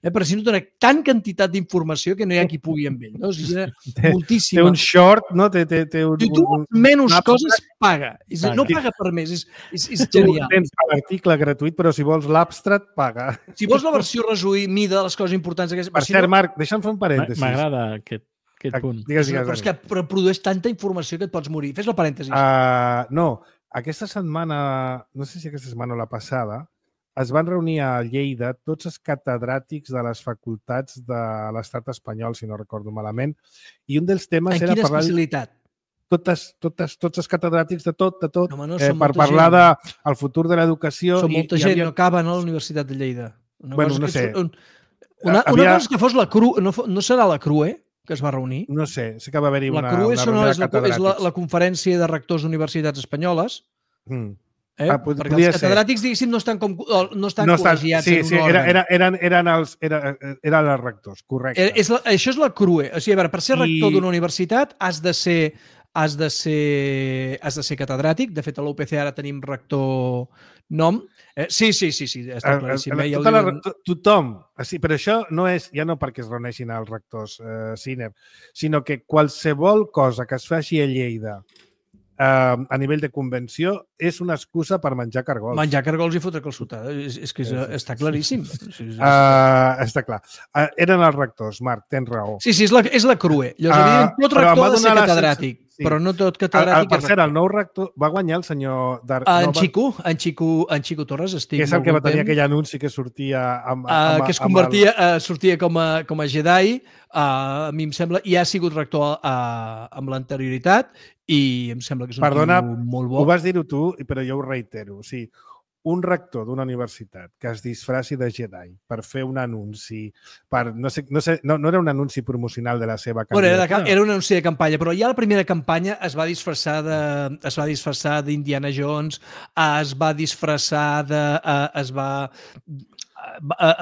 Però si no dona tant quantitat d'informació que no hi ha qui pugui amb ell. No? O sigui, moltíssima. Té un short, no? Si tu menys coses, paga. No paga per més. És genial. Tu tens l'article gratuït, però si vols l'abstract, paga. Si vols la versió resumida de les coses importants... Per cert, Marc, deixa'm fer un parèntesis. M'agrada aquest punt. Però és que produeix tanta informació que et pots morir. Fes la parèntesis. No, aquesta setmana, no sé si aquesta setmana o la passada, es van reunir a Lleida tots els catedràtics de les facultats de l'estat espanyol, si no recordo malament, i un dels temes era parlar... En quina especialitat? Tots els catedràtics de tot, per parlar del futur de l'educació. Són molta gent, no acaben a la Universitat de Lleida. Bueno, no sé. Una cosa és que fos la CRU, no serà la CRUE, que es va reunir? No sé, sé que va haver-hi una reunió de catedràtics. És la conferència de rectors d'universitats espanyoles. Perquè els catedràtics, diguéssim, no estan col·legiats en un òrgan. Eren els rectors, correcte. Això és la CRUE. O sigui, a veure, per ser rector d'una universitat has de ser catedràtic. De fet, a l'UPC ara tenim rector nom. Sí, està claríssim. Tothom. Però això no és, ja no perquè es reuneixin els rectors senior, sinó que qualsevol cosa que es faci a Lleida a nivell de convenció, és una excusa per menjar cargols. Menjar cargols i fotre calçotada. És que està claríssim. Està clar. Eren els rectors, Marc, tens raó. Sí, és la crue. Llavors, tot rector ha de ser catedràtic, però no tot catedràtic per cert, el nou rector va guanyar el senyor... En Xico Torres, estic que és el que va tenir aquell anunci que sortia... que es convertia, sortia com a Jedi, a mi em sembla, i ha sigut rector amb l'anterioritat, i em sembla que és un tio molt bo. Ho vas dir-ho tu, però jo ho reitero. O sigui, un rector d'una universitat que es disfraci de Jedi per fer un anunci, no era un anunci promocional de la seva candidatura. Era un anunci de campanya, però ja la primera campanya es va disfressar d'Indiana Jones, es va disfressar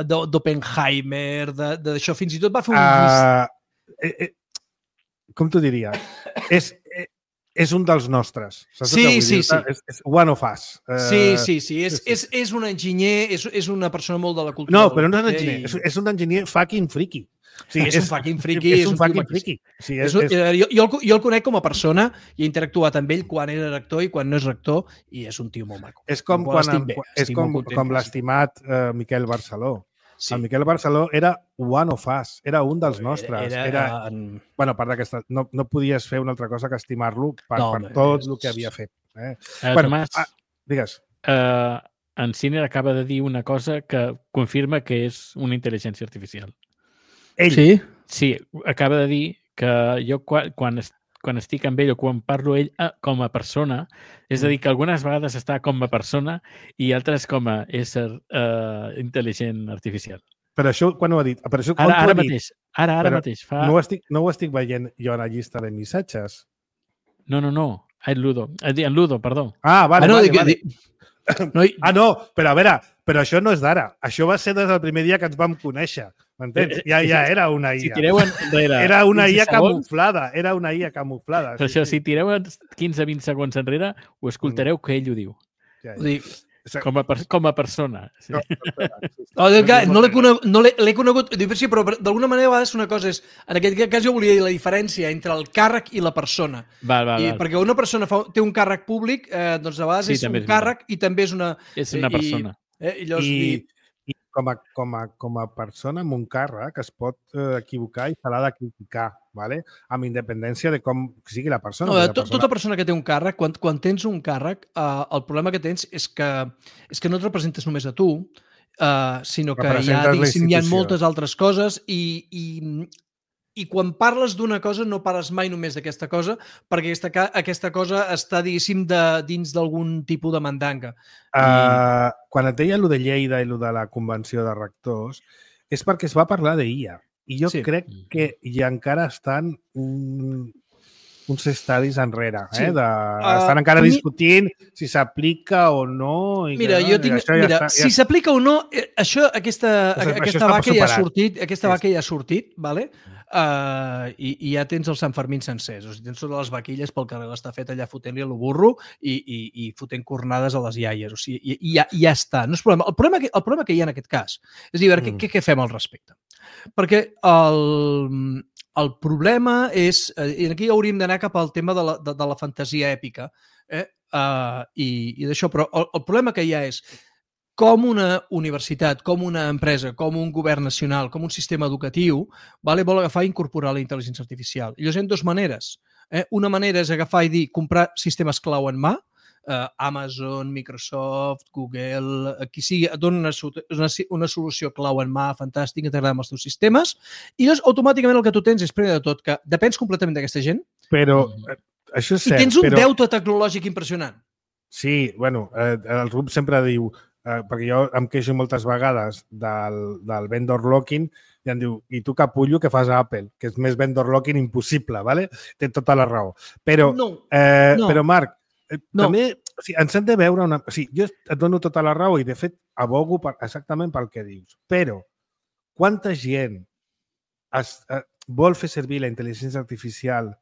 d'Oppenheimer, d'això, fins i tot va fer un... Com t'ho diria? És un dels nostres. Sí. És one of us. Sí. És un enginyer, és una persona molt de la cultura. No, però no és un enginyer. És un enginyer fucking friki. Sí, és un fucking friki. És un fucking friki. Sí, jo el conec com a persona i he interactuat amb ell quan era rector i quan no és rector i és un tio molt maco. És com l'estimat Miquel Barceló. Sí. El Miquel Barceló era one of us, era un dels nostres. Bueno, a part d'aquesta... No podies fer una altra cosa que estimar-lo per tot el que havia fet. Tomàs, digues. En Sinner acaba de dir una cosa que confirma que és una intel·ligència artificial. Ell? Sí? Sí, acaba de dir que jo quan estic amb ell o quan parlo ell com a persona, és a dir, que algunes vegades està com a persona i altres com a ésser intel·ligent artificial. Però això quan ho ha dit? Ara mateix. No ho estic veient jo a la llista de missatges. No. En Ludo, perdó. Vale. No, però a veure, però això no és d'ara. Això va ser des del primer dia que ens vam conèixer. M'entens? Ja era una IA. Si tireu enrere... Era una IA camuflada. Però això, si tireu 15-20 segons enrere, ho escoltareu que ell ho diu. Com a persona. Sí. No l'he conegut, sí, però d'alguna manera a vegades una cosa és, en aquest cas jo volia dir la diferència entre el càrrec i la persona. Perquè una persona té un càrrec públic, doncs a vegades és un càrrec i també és una... És una persona. I com a persona amb un càrrec es pot equivocar i se l'ha de criticar, ¿vale? Amb independència de com sigui la persona. Tota persona que té un càrrec, quan tens un càrrec, el problema que tens és que no et representes només a tu, sinó que hi ha moltes altres coses i quan parles d'una cosa no parles mai només d'aquesta cosa perquè aquesta cosa està, diguéssim, dins d'algun tipus de mandanga. Quan et deia allò de Lleida i allò de la convenció de rectors és perquè es va parlar d'IA i jo crec que ja encara estan uns estadis enrere. Estan encara discutint si s'aplica o no. Si s'aplica o no, aquesta vaca ja ha sortit, ¿vale? I ja tens els Sant Fermín sencers. O sigui, tens totes les vaquilles pel carrer l'estafet allà fotent-li a lo burro i fotent cornades a les iaies. O sigui, ja està. No és problema. El problema que hi ha en aquest cas és dir, què fem al respecte? Perquè el problema és... I aquí hauríem d'anar cap al tema de la fantasia èpica i d'això, però el problema que hi ha és com una universitat, com una empresa, com un govern nacional, com un sistema educatiu, vol agafar i incorporar la intel·ligència artificial. I llavors hi ha dues maneres. Una manera és agafar i dir comprar sistemes clau en mà, Amazon, Microsoft, Google, qui sigui, et dona una solució clau en mà fantàstica, integrada amb els teus sistemes, i llavors automàticament el que tu tens és, primer de tot, que depens completament d'aquesta gent. Però això és cert. I tens un deute tecnològic impressionant. Sí, bueno, el Rup sempre diu, perquè jo em queixo moltes vegades del vendor locking i em diu, i tu capullo que fas a Apple, que és més vendor locking impossible, ¿vale? Té tota la raó. Però, però Marc, també ens hem de veure una... Jo et dono tota la raó i, de fet, abogo exactament pel que dius. Però, quanta gent vol fer servir la intel·ligència artificial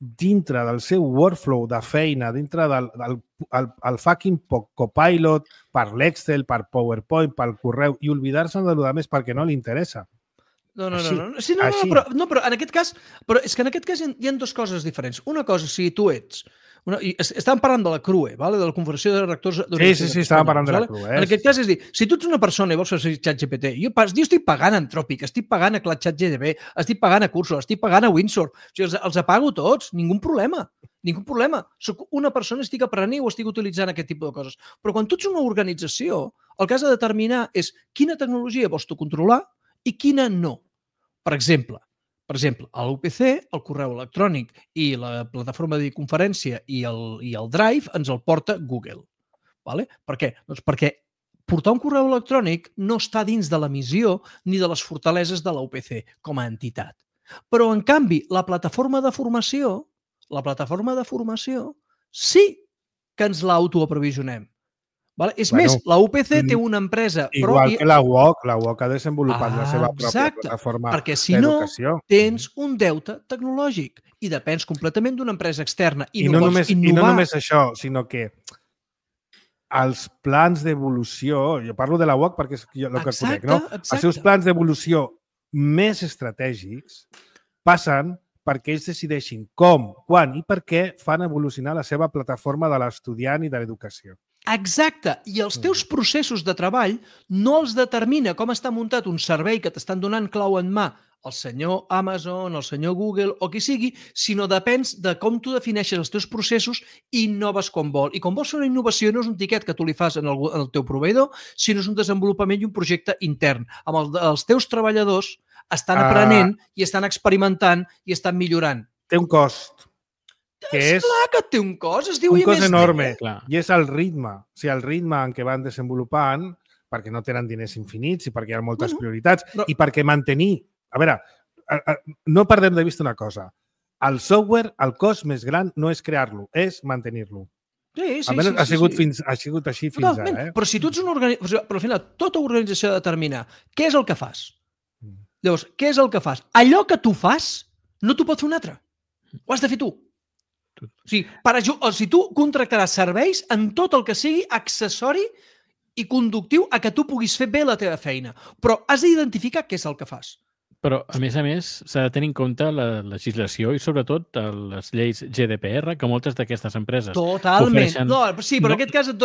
dintre del seu workflow de feina, dintre del fucking Copilot, per l'Excel, per PowerPoint, pel correu, i oblidar-se de lo de més perquè no li interessa. No. Així, Sí, així. però en aquest cas... Però és que en aquest cas hi ha dues coses diferents. Una cosa, si tu ets... Estàvem parlant de la CRUE, vale? De la Confederació de Rectors d'Universitats Sí, estàvem parlant de la vale? CRUE. En aquest cas, és dir, si tu ets una persona i vols fer ChatGPT, jo estic pagant a Anthropic, estic pagant a ChatGPT, estic pagant a Cursor, estic pagant a Windsor, o sigui, els apago tots, ningú problema. Soc una persona, estic aprenent o estic utilitzant aquest tipus de coses. Però quan tu ets una organització, el que has de determinar és quina tecnologia vols tu controlar i quina no. Per exemple, a l'UPC, el correu electrònic i la plataforma de conferència i el Drive ens el porta Google. Vale? Per què? Doncs perquè portar un correu electrònic no està dins de la missió ni de les fortaleses de l'UPC com a entitat. Però, en canvi, la plataforma de formació sí que ens l'autoaprovisionem. Vale? És més, la UPC té una empresa... Igual que la UOC ha desenvolupat la seva pròpia plataforma d'educació. Perquè si no, tens un deute tecnològic i depens completament d'una empresa externa. I no només això, sinó que els plans d'evolució, jo parlo de la UOC perquè és el que conec, no? Els seus plans d'evolució més estratègics passen perquè ells decideixin com, quan i per què fan evolucionar la seva plataforma de l'estudiant i de l'educació. Exacte, i els teus processos de treball no els determina com està muntat un servei que t'estan donant clau en mà el senyor Amazon, el senyor Google o qui sigui, sinó depèns de com tu defineixes els teus processos i innoves com vol. I com vols fer una innovació no és un tiquet que tu li fas en el teu proveïdor, sinó és un desenvolupament i un projecte intern. Amb els teus treballadors estan aprenent i estan experimentant i estan millorant. Té un cost. És clar que té un cost, es diu un cost enorme, clar. I és el ritme. O sigui, el ritme en què van desenvolupant, perquè no tenen diners infinits i perquè hi ha moltes prioritats, i perquè mantenir... A veure, no perdem de vista una cosa. El software, el cost més gran no és crear-lo, és mantenir-lo. Sí. Ha sigut així fins ara. Però si tu ets una organització... Però al final, tota organització ha de determinar què és el que fas. Llavors, què és el que fas? Allò que tu fas no t'ho pot fer un altre. Ho has de fer tu. O sigui, tu contractaràs serveis en tot el que sigui accessori i conductiu a que tu puguis fer bé la teva feina. Però has d'identificar què és el que fas. Però, a més, s'ha de tenir en compte la legislació i, sobretot, les lleis GDPR, que moltes d'aquestes empreses Totalment. No, sí, però en aquest cas et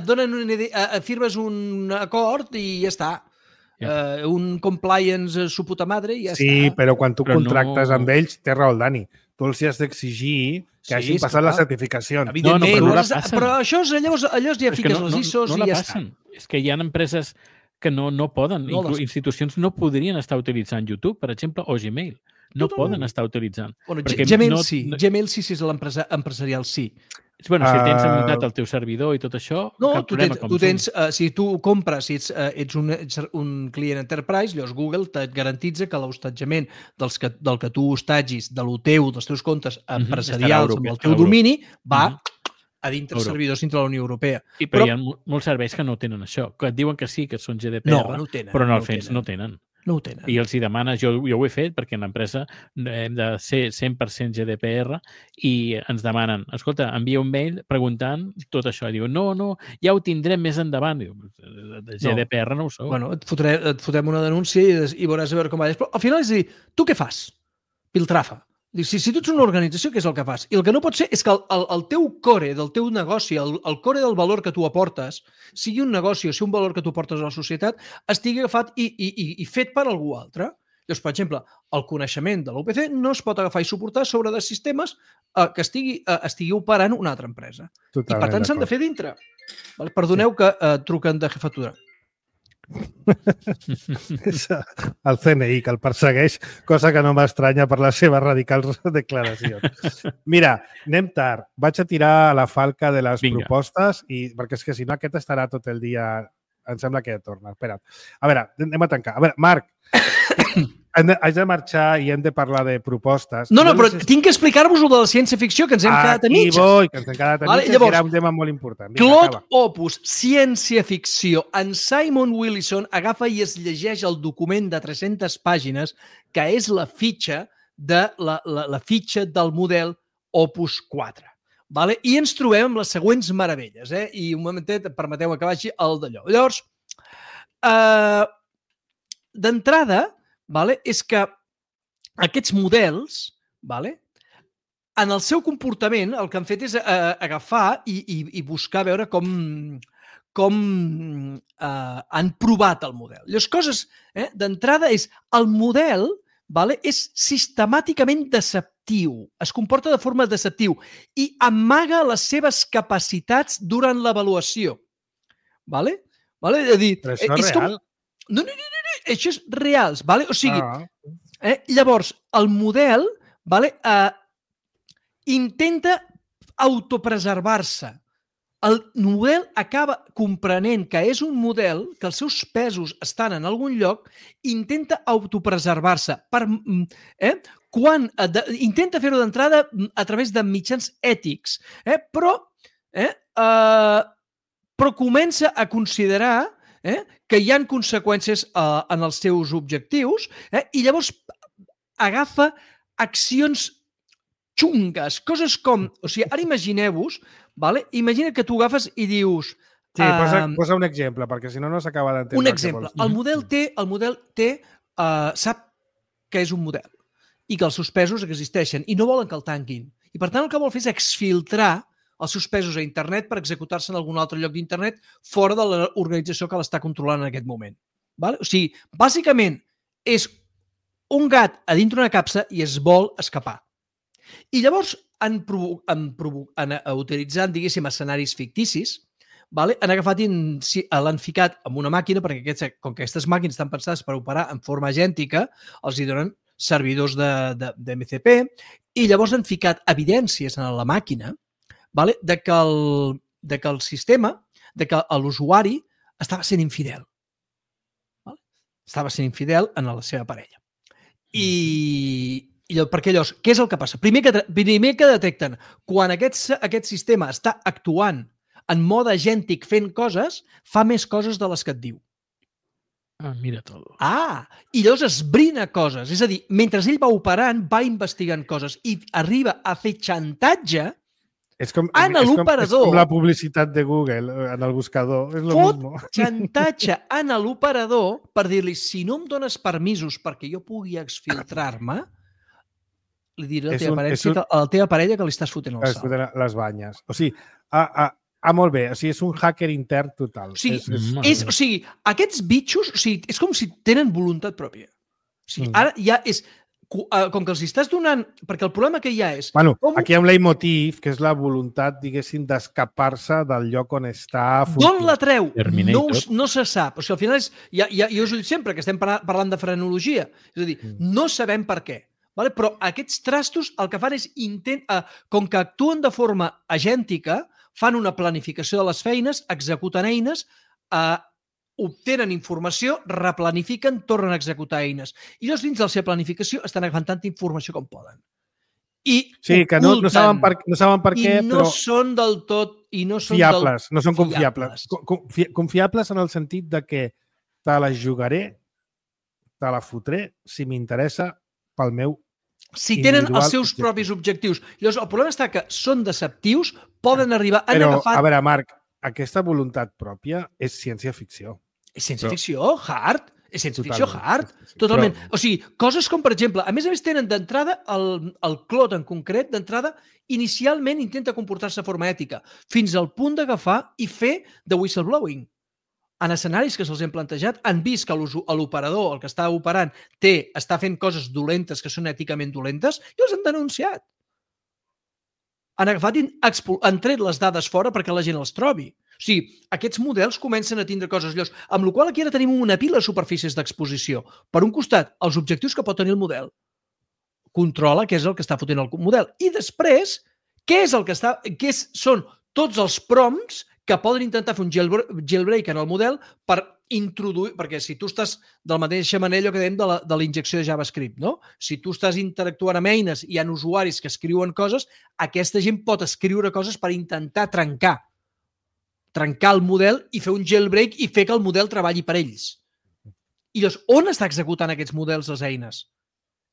donen una idea, firmes un acord i ja està. Un compliance su puta madre i ja està. Sí, però quan tu contractes amb ells, té raó el Dani. Tu els has d'exigir que hagin passat les certificacions. Evidentment, però això llavors ja fiques les ISOs i ja està. És que hi ha empreses que no poden, institucions no podrien estar utilitzant YouTube, per exemple, o Gmail. No poden estar utilitzant. Gmail sí. Gmail sí, si és l'empresa empresarial, sí. Bueno, si tens muntat el teu servidor i tot això, cap problema com si tu compres, si ets un client enterprise, llavors Google et garantitza que l'hostatjament del que tu hostatgis dels teus comptes empresarials amb el teu domini va a dintre els servidors dintre de la Unió Europea. Però hi ha molts serveis que no tenen això, que et diuen que sí, que són GDPR, però en el fons no tenen. No ho tenen. I els hi demanes, jo ho he fet perquè en l'empresa hem de ser 100% GDPR i ens demanen, escolta, envia un mail preguntant tot això. I diu, no, ja ho tindrem més endavant. Diu, GDPR no ho sou. Bueno, et fotem una denúncia i veuràs a veure com va. Però al final és a dir, tu què fas? Piltrafa. Si tu ets una organització, què és el que fas? I el que no pot ser és que el teu core del teu negoci, el core del valor que tu aportes, sigui un negoci o sigui un valor que tu aportes a la societat, estigui agafat i fet per algú altre. Llavors, per exemple, el coneixement de l'UPC no es pot agafar i suportar sobre de sistemes que estigui operant una altra empresa. I, per tant, s'han de fer dintre. Perdoneu que truquen de jefatura. És el CNI que el persegueix, cosa que no m'estranya per les seves radicals declaracions. Mira, anem tard. Vaig a tirar a la falca de les propostes perquè és que si no aquest estarà tot el dia... Em sembla que torna. Espera't. A veure, anem a tancar. A veure, Marc, haig de marxar i hem de parlar de propostes. No, però tinc que explicar-vos-ho de la ciència-ficció, que ens hem quedat a mitges. Que ens hem quedat a mitges, que era un tema molt important. Clot Opus, ciència-ficció. En Simon Willison agafa i es llegeix el document de 300 pàgines que és la fitxa del model Opus 4. I ens trobem amb les següents meravelles. I un momentet, permeteu que vagi el d'allò. Llavors, d'entrada, és que aquests models, en el seu comportament, el que han fet és agafar i buscar veure com han provat el model. Les coses, d'entrada, és el model és sistemàticament deceptiu, es comporta de forma deceptiu i amaga les seves capacitats durant l'avaluació. És a dir, Però això és real? No, això és real. O sigui, llavors, el model intenta autopreservar-se. El model acaba comprenent que és un model, que els seus pesos estan en algun lloc, intenta autopreservar-se. Intenta fer-ho d'entrada a través de mitjans ètics, però comença a considerar que hi ha conseqüències en els seus objectius i llavors agafa accions xungues, coses com... O sigui, ara imagineu-vos, imagina que tu agafes i dius... Sí, posa un exemple, perquè si no, no s'acaba d'entendre. Un exemple. El model sap que és un model i que els seus pesos existeixen i no volen que el tanquin. I, per tant, el que vol fer és exfiltrar els seus pesos a internet per executar-se en algun altre lloc d'internet fora de l'organització que l'està controlant en aquest moment. O sigui, bàsicament, és un gat a dintre d'una capsa i es vol escapar. I llavors, utilitzant, diguéssim, escenaris ficticis, han agafat i l'han ficat en una màquina, perquè com que aquestes màquines estan pensades per operar en forma agèntica, els hi donen servidors d'MCP i llavors han ficat evidències en la màquina de que el sistema, de que l'usuari estava sent infidel. Estava sent infidel a la seva parella. Perquè llavors, què és el que passa? Primer que detecten, quan aquest sistema està actuant en mode agèntic fent coses, fa més coses de les que et diu. Mira tot. I llavors esbrina coses. És a dir, mentre ell va operant, va investigant coses i arriba a fer xantatge en l'operador. És com la publicitat de Google en el buscador. És lo mismo. Xantatge en l'operador per dir-li, si no em dones permisos perquè jo pugui exfiltrar-me, li diré a la teva parella que li estàs fotent el salt. Les banyes. O sigui, molt bé. O sigui, és un hacker intern total. O sigui, aquests bitxos, és com si tenen voluntat pròpia. O sigui, ara ja és... Com que els estàs donant... Perquè el problema que hi ha és... Bueno, aquí hi ha un leitmotiv, que és la voluntat, diguéssim, d'escapar-se del lloc on està... D'on la treu? No se sap. O sigui, al final és... Jo us ho dic sempre, que estem parlant de frenologia. És a dir, no sabem per què. Però aquests trastos el que fan és com que actuen de forma agèntica, fan una planificació de les feines, executen eines, obtenen informació, replanifiquen, tornen a executar eines. I llavors dins de la seva planificació estan agafant tanta informació com poden. Sí, que no saben per què, però... I no són del tot... Fiables, no són confiables. Confiables en el sentit de que te la jugaré, te la fotré, si m'interessa, pel meu si tenen els seus propis objectius. Llavors, el problema està que són deceptius, poden arribar... Però, a veure, Marc, aquesta voluntat pròpia és ciència-ficció. És ciència-ficció hard. És ciència-ficció hard. Totalment. O sigui, coses com, per exemple, a més tenen d'entrada el Clot en concret, d'entrada, inicialment intenta comportar-se de forma ètica, fins al punt d'agafar i fer de whistleblowing. En escenaris que se'ls hem plantejat, han vist que l'operador, el que està operant, està fent coses dolentes que són èticament dolentes i els han denunciat. Han agafat i han tret les dades fora perquè la gent els trobi. O sigui, aquests models comencen a tindre coses llocs, amb la qual aquí ara tenim una pila de superfícies d'exposició. Per un costat, els objectius que pot tenir el model. Controla què és el que està fotent el model. I després, són tots els prompts que poden intentar fer un jailbreak en el model per introduir... Perquè si tu estàs de la mateixa manera que dèiem de la injecció de JavaScript, no? Si tu estàs interactuant amb eines i hi ha usuaris que escriuen coses, aquesta gent pot escriure coses per intentar trencar el model i fer un jailbreak i fer que el model treballi per ells. I llavors, on està executant aquests models les eines?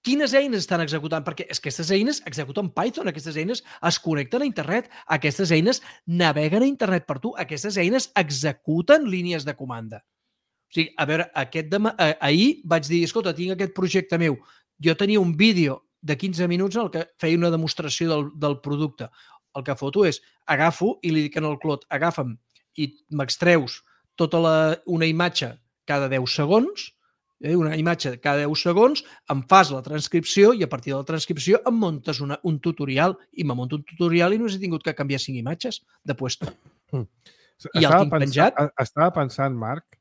Quines eines estan executant? Perquè aquestes eines executen Python, aquestes eines es connecten a internet, aquestes eines naveguen a internet per tu, aquestes eines executen línies de comanda. O sigui, a veure, ahir vaig dir, escolta, tinc aquest projecte meu. Jo tenia un vídeo de 15 minuts en el que feia una demostració del producte. El que foto és, agafo i li dic al Clot, agafa'm i m'extreus tota una imatge cada 10 segons, una imatge cada 10 segons, em fas la transcripció i a partir de la transcripció em muntes un tutorial i me monto un tutorial i només he tingut que canviar 5 imatges de puesto. I el tinc penjat. Estava pensant, Marc,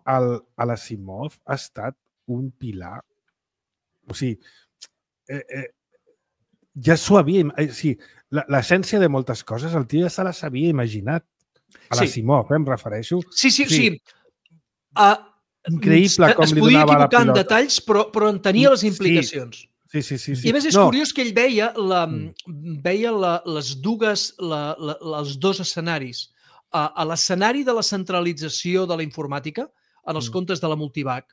l'Asimov ha estat un pilar. O sigui, ja s'ho havia... L'essència de moltes coses, el tio ja se les havia imaginat. A l'Asimov, em refereixo. Sí. Increïble com li donava la pilota. Es podia equivocar en detalls, però en tenia les implicacions. Sí. I a més és curiós que ell veia els dos escenaris. A l'escenari de la centralització de la informàtica, en els comptes de la multivac,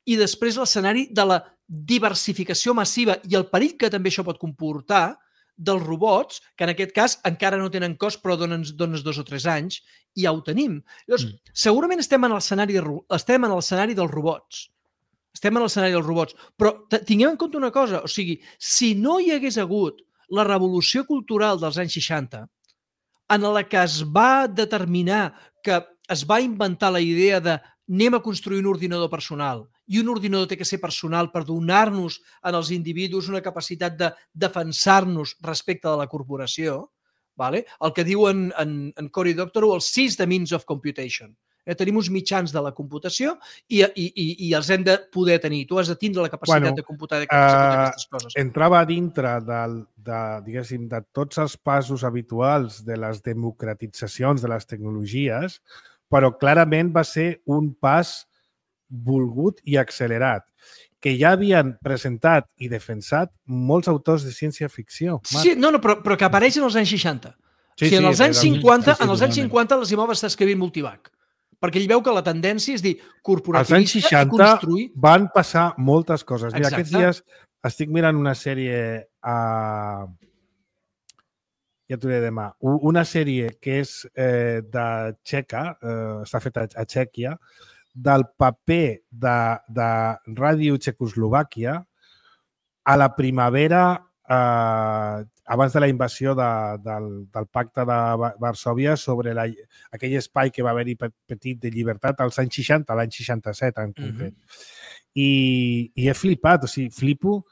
i després l'escenari de la diversificació massiva i el perill que també això pot comportar dels robots, que en aquest cas encara no tenen cost, però dones 2 o 3 anys, i ja ho tenim. Llavors, segurament estem en l'escenari dels robots. Però tinguem en compte una cosa, o sigui, si no hi hagués hagut la revolució cultural dels anys 60, en la que es va determinar que es va inventar la idea de anem a construir un ordinador personal i un ordinador té que ser personal per donar-nos als individus una capacitat de defensar-nos respecte de la corporació, el que diu en Cory Doctorow, el seize the means of computation. Tenim uns mitjans de la computació i els hem de poder tenir. Tu has de tindre la capacitat de computar aquestes coses. Entrava dintre de tots els passos habituals de les democratitzacions de les tecnologies, però clarament va ser un pas volgut i accelerat, que ja havien presentat i defensat molts autors de ciència-ficció. Sí, però que apareix en els anys 60. En els anys 50 l'Asimov està escrivint multivac, perquè ell veu que la tendència és dir corporativista i construir... Als anys 60 van passar moltes coses. Mira, aquests dies estic mirant una sèrie ja t'ho diré demà, una sèrie que és de Txeca, està feta a Txèquia, del paper de Ràdio Txecoslovàquia a la primavera abans de la invasió del pacte de Varsòvia sobre aquell espai que va haver-hi petit de llibertat als anys 60, l'any 67 en concret. I he flipat, o sigui, flipo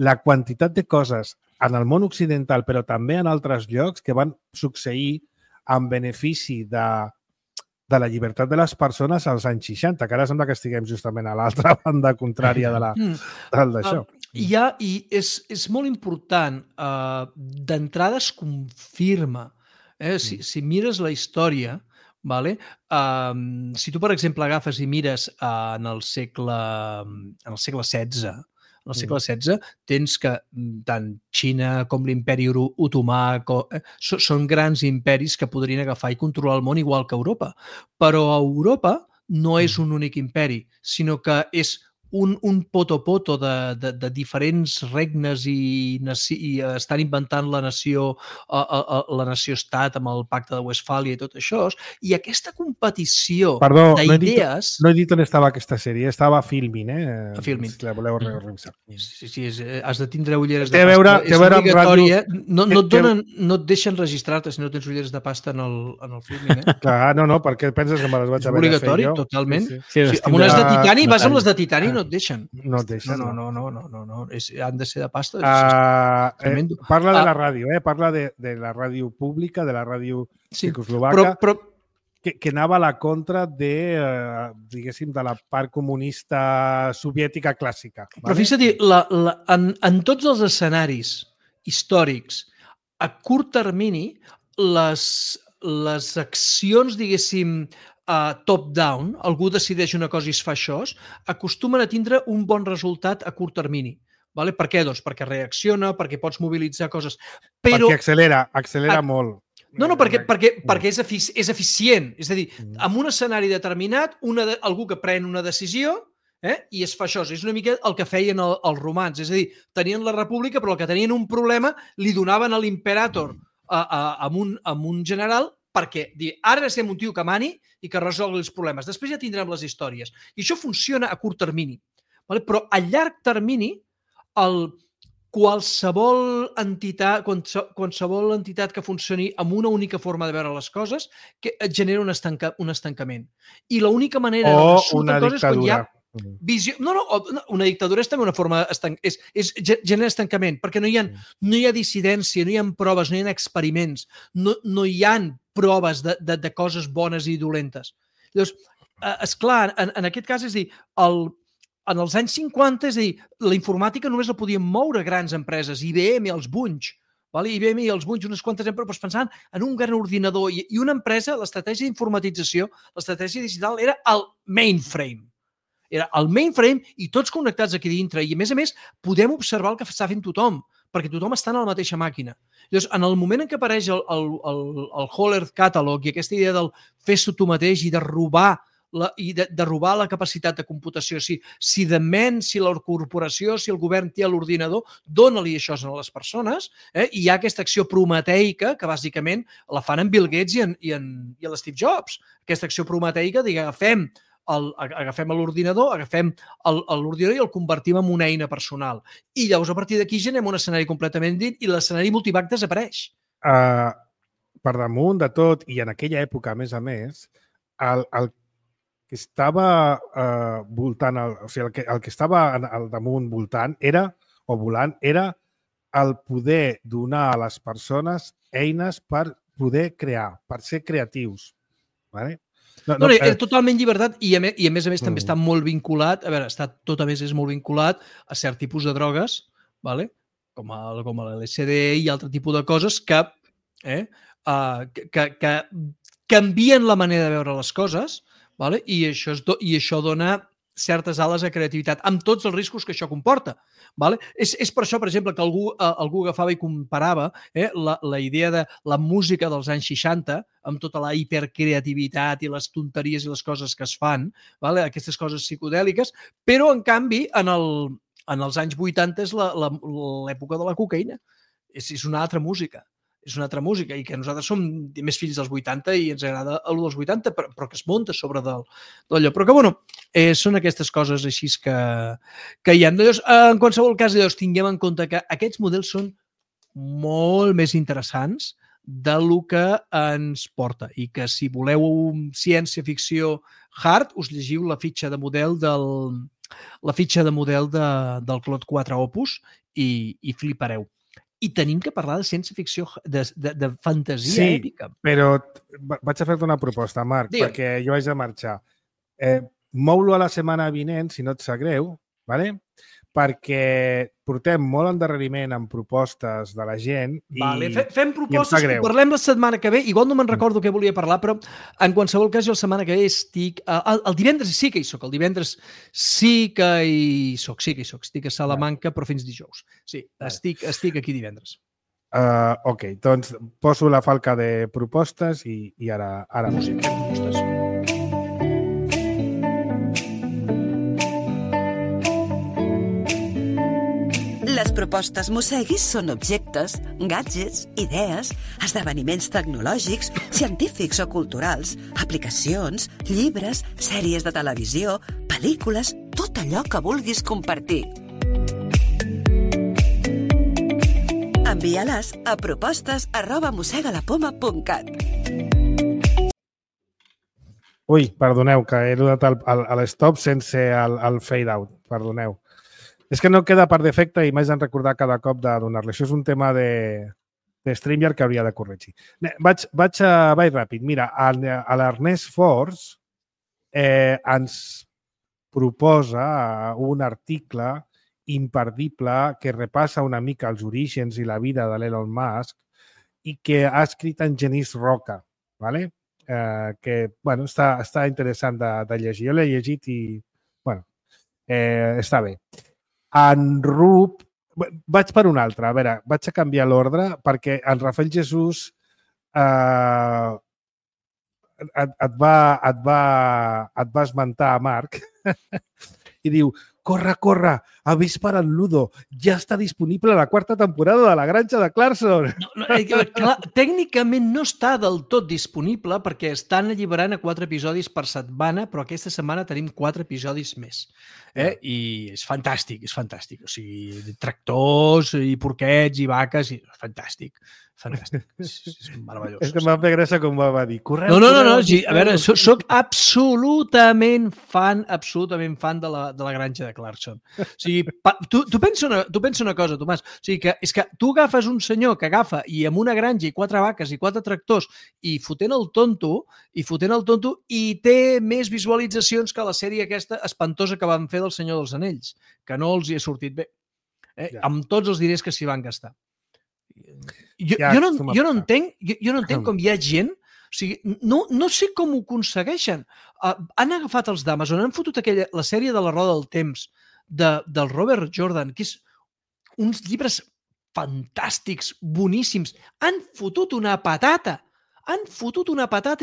la quantitat de coses en el món occidental, però també en altres llocs que van succeir en benefici de la llibertat de les persones als anys 60, que ara sembla que estiguem justament a l'altra banda contrària d'això. I és molt important, d'entrada es confirma, si mires la història, si tu, per exemple, agafes i mires en el segle XVI, en el segle XVI tens que tant Xina com l'imperi otomà són grans imperis que podrien agafar i controlar el món igual que Europa. Però Europa no és un únic imperi, sinó que és un poto-poto de diferents regnes i estan inventant la nació-estat amb el pacte de Westfàlia i tot això. I aquesta competició d'idees... No he dit on estava aquesta sèrie, estava a Filmin, A Filmin. Si la voleu revisar. Sí, has de tindre ulleres de pasta. És obligatori, no et deixen registrar-te si no tens ulleres de pasta en el Filmin. Clar, no, perquè penses que me les vaig haver de fer jo. És obligatori, totalment. Amb unes de titani, vas amb les de titani, no et deixen. No et deixen. No. Han de ser de pasta. Parla de la ràdio, parla de la ràdio pública, de la ràdio txecoslovaca, que anava a la contra de la part comunista soviètica clàssica. Però fixa't, en tots els escenaris històrics, a curt termini, les accions, diguéssim, top-down, algú decideix una cosa i es fa això, acostumen a tindre un bon resultat a curt termini. Per què? Doncs perquè reacciona, perquè pots mobilitzar coses. Perquè accelera molt. No, perquè és eficient. És a dir, en un escenari determinat, algú que pren una decisió i es fa això. És una mica el que feien els romans. És a dir, tenien la república, però el que tenien un problema li donaven a l'imperator amb un general perquè ara necessitem un tio que mani i que resolgui els problemes. Després ja tindrem les històries. I això funciona a curt termini. Vale? Però a llarg termini, qualsevol entitat que funcioni amb una única forma de veure les coses que et genera un estancament. I l'única manera de una dictadura. Visió... No, una dictadura és també una forma... genera estancament, perquè no hi ha dissidència, no hi ha proves, no hi ha experiments, no hi ha proves de coses bones i dolentes. Llavors, esclar, en aquest cas, és a dir, en els anys 50, és a dir, la informàtica només la podien moure grans empreses, IBM i els Bunch, IBM i els Bunch, unes quantes empreses, pensant en un gran ordinador i una empresa, l'estratègia d'informatització, l'estratègia digital era el mainframe. Era el mainframe i tots connectats aquí dintre. I, a més, podem observar el que està fent tothom, perquè tothom està en la mateixa màquina. Llavors, en el moment en què apareix el Whole Earth Catalog i aquesta idea del fes-ho tu mateix i de robar la capacitat de computació, si de ment, si la corporació, si el govern té l'ordinador, dona-li això a les persones, i hi ha aquesta acció prometeica que bàsicament la fan en Bill Gates i en Steve Jobs. Aquesta acció prometeica, agafem l'ordinador, i el convertim en una eina personal. I llavors, a partir d'aquí, generem un escenari completament dit i l'escenari multivac desapareix. Per damunt de tot, i en aquella època, a més, el que estava voltant, el que estava al damunt voltant volant era el poder donar a les persones eines per poder crear, per ser creatius. Vale? Era totalment llibertat i a més també està molt vinculat, tot a més és molt vinculat a cert tipus de drogues, com l'LSD i altre tipus de coses que canvien la manera de veure les coses, i això dona certes ales de creativitat, amb tots els riscos que això comporta. És per això, per exemple, que algú agafava i comparava la idea de la música dels anys 60 amb tota la hipercreativitat i les tonteries i les coses que es fan, aquestes coses psicodèliques, però, en canvi, en els anys 80 és l'època de la cocaïna. És una altra música. És una altra música i que nosaltres som més fills dels 80 i ens agrada el dels 80, però que es munta sobre d'allò. Però que, són aquestes coses així que hi ha. Llavors, en qualsevol cas, tinguem en compte que aquests models són molt més interessants del que ens porta i que si voleu ciència-ficció hard, us llegiu la fitxa de model del Claude 4 Opus i flipareu. I tenim que parlar de ciència-ficció, de fantasia èpica. Sí, però vaig a fer-te una proposta, Marc, perquè jo haig de marxar. Mou-lo a la setmana vinent, si no et sap greu, perquè portem molt endarreriment amb propostes de la gent. Fem propostes, parlem la setmana que ve. Igual no me'n recordo què volia parlar, però en qualsevol cas jo la setmana que ve estic... El divendres sí que hi soc, el divendres sí que hi soc. Estic a Salamanca, però fins dijous. Sí, estic aquí divendres. Ok, doncs poso la falca de propostes i ara fem propostes. Les propostes Mosseguis són objectes, gadgets, idees, esdeveniments tecnològics, científics o culturals, aplicacions, llibres, sèries de televisió, pel·lícules, tot allò que vulguis compartir. Envia-les a propostes@mossegalapoma.cat. Ui, perdoneu, que he donat l'stop sense el fade-out. Perdoneu. És que no queda per defecte i m'haig de recordar cada cop de donar-li. Això és un tema de StreamYard que hauria de corregir. Vaig ràpid. Mira, l'Ernest Force ens proposa un article imperdible que repassa una mica els orígens i la vida de l'Elon Musk i que ha escrit en Genís Roca, que està interessant de llegir. Jo l'he llegit i està bé. En Rup... Vaig per un altre. A veure, vaig a canviar l'ordre perquè en Rafael Jesús et va esmentar a Marc i diu corre, avispara el Ludo, ja està disponible la 4ª temporada de La Granja de Clarkson. Clar, tècnicament no està del tot disponible perquè estan alliberant a 4 episodis per setmana, però aquesta setmana tenim 4 episodis més. I és fantàstic, és fantàstic. O sigui, tractors i porquets i vaques, fantàstic. Fantàstic. És meravellós. És que em va fer gràcia com va dir. No. A veure, soc absolutament fan de la Granja de Clarkson. O sigui, tu pensa una cosa, Tomàs. O sigui, que és que tu agafes un senyor que agafa i amb una granja i 4 vaques i 4 tractors i fotent el tonto i té més visualitzacions que la sèrie aquesta espantosa que van fer del Senyor dels Anells, que no els hi ha sortit bé. Amb tots els diners que s'hi van gastar. Jo no entenc com hi ha gent, o sigui, no sé com ho aconsegueixen. Han agafat els d'Amazon, han fotut la sèrie de La Roda del Temps del Robert Jordan, que és uns llibres fantàstics, boníssims. Han fotut una patata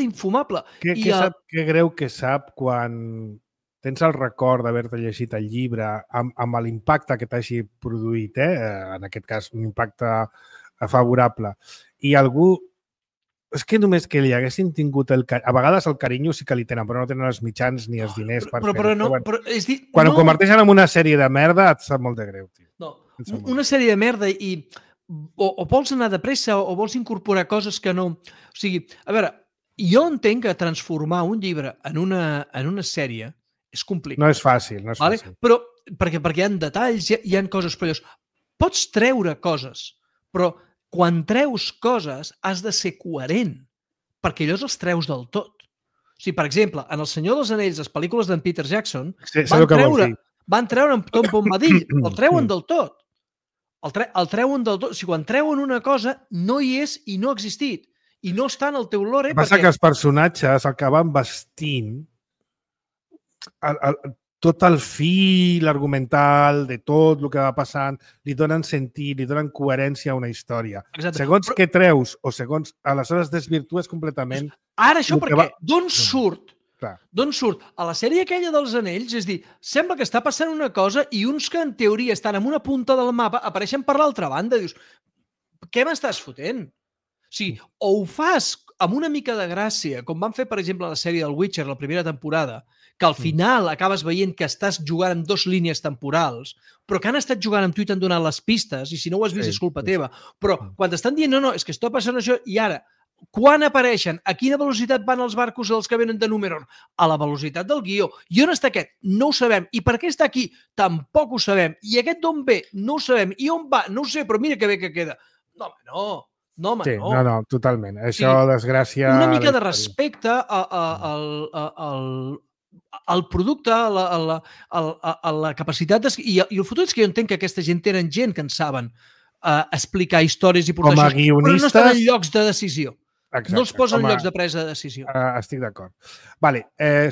infumable. Què greu que sap quan tens el record d'haver-te llegit el llibre amb l'impacte que t'hagi produït, en aquest cas un impacte favorable, i algú... És que només que li haguessin tingut a vegades el carinyo sí que li tenen, però no tenen els mitjans ni els diners per fer-ho. Quan ho converteixen en una sèrie de merda et sap molt de greu, tio. No, una sèrie de merda i o vols anar de pressa o vols incorporar coses que no... O sigui, a veure, jo entenc que transformar un llibre en una sèrie és complicat. No és fàcil, no és fàcil. Però perquè hi ha detalls, hi ha coses perilloses. Pots treure coses, però quan treus coses has de ser coherent, perquè allò els treus del tot. O sigui, per exemple, en El Senyor dels Anells, les pel·lícules d'en Peter Jackson, van treure en Tom Bombadil, el treuen del tot. El treuen del tot. O sigui, quan treuen una cosa, no hi és i no ha existit. I no està en el teu lore. Passa que els personatges, el que van vestint, tot el fil argumental de tot el que va passant, li donen sentit, li donen coherència a una història. Exacte. Segons què treus o segons... Aleshores desvirtues completament... Ara això per què? D'on surt? D'on surt? A la sèrie aquella dels Anells, és dir, sembla que està passant una cosa i uns que en teoria estan en una punta del mapa apareixen per l'altra banda. Dius, què m'estàs fotent? O sigui, o ho fas amb una mica de gràcia, com van fer, per exemple, a la sèrie del Witcher, la primera temporada, que al final acabes veient que estàs jugant amb 2 línies temporals, però que han estat jugant amb tu i t'han donat les pistes, i si no ho has vist és culpa teva. Però quan t'estan dient, no, és que està passant això, i ara, quan apareixen, a quina velocitat van els barcos dels que venen de Númenor? A la velocitat del guió. I on està aquest? No ho sabem. I per què està aquí? Tampoc ho sabem. I aquest d'on ve? No ho sabem. I on va? No ho sé, però mira que bé que queda. No, home, no. No, home, no. No, totalment. Això, desgràcia... Una mica de respecte al producte, a la capacitat... I el fotut és que jo entenc que aquesta gent tenen gent que en saben explicar històries i portar com a guionistes... però no estan en llocs de decisió. Exacte, no els posen en llocs de presa de decisió. Estic d'acord. Vale,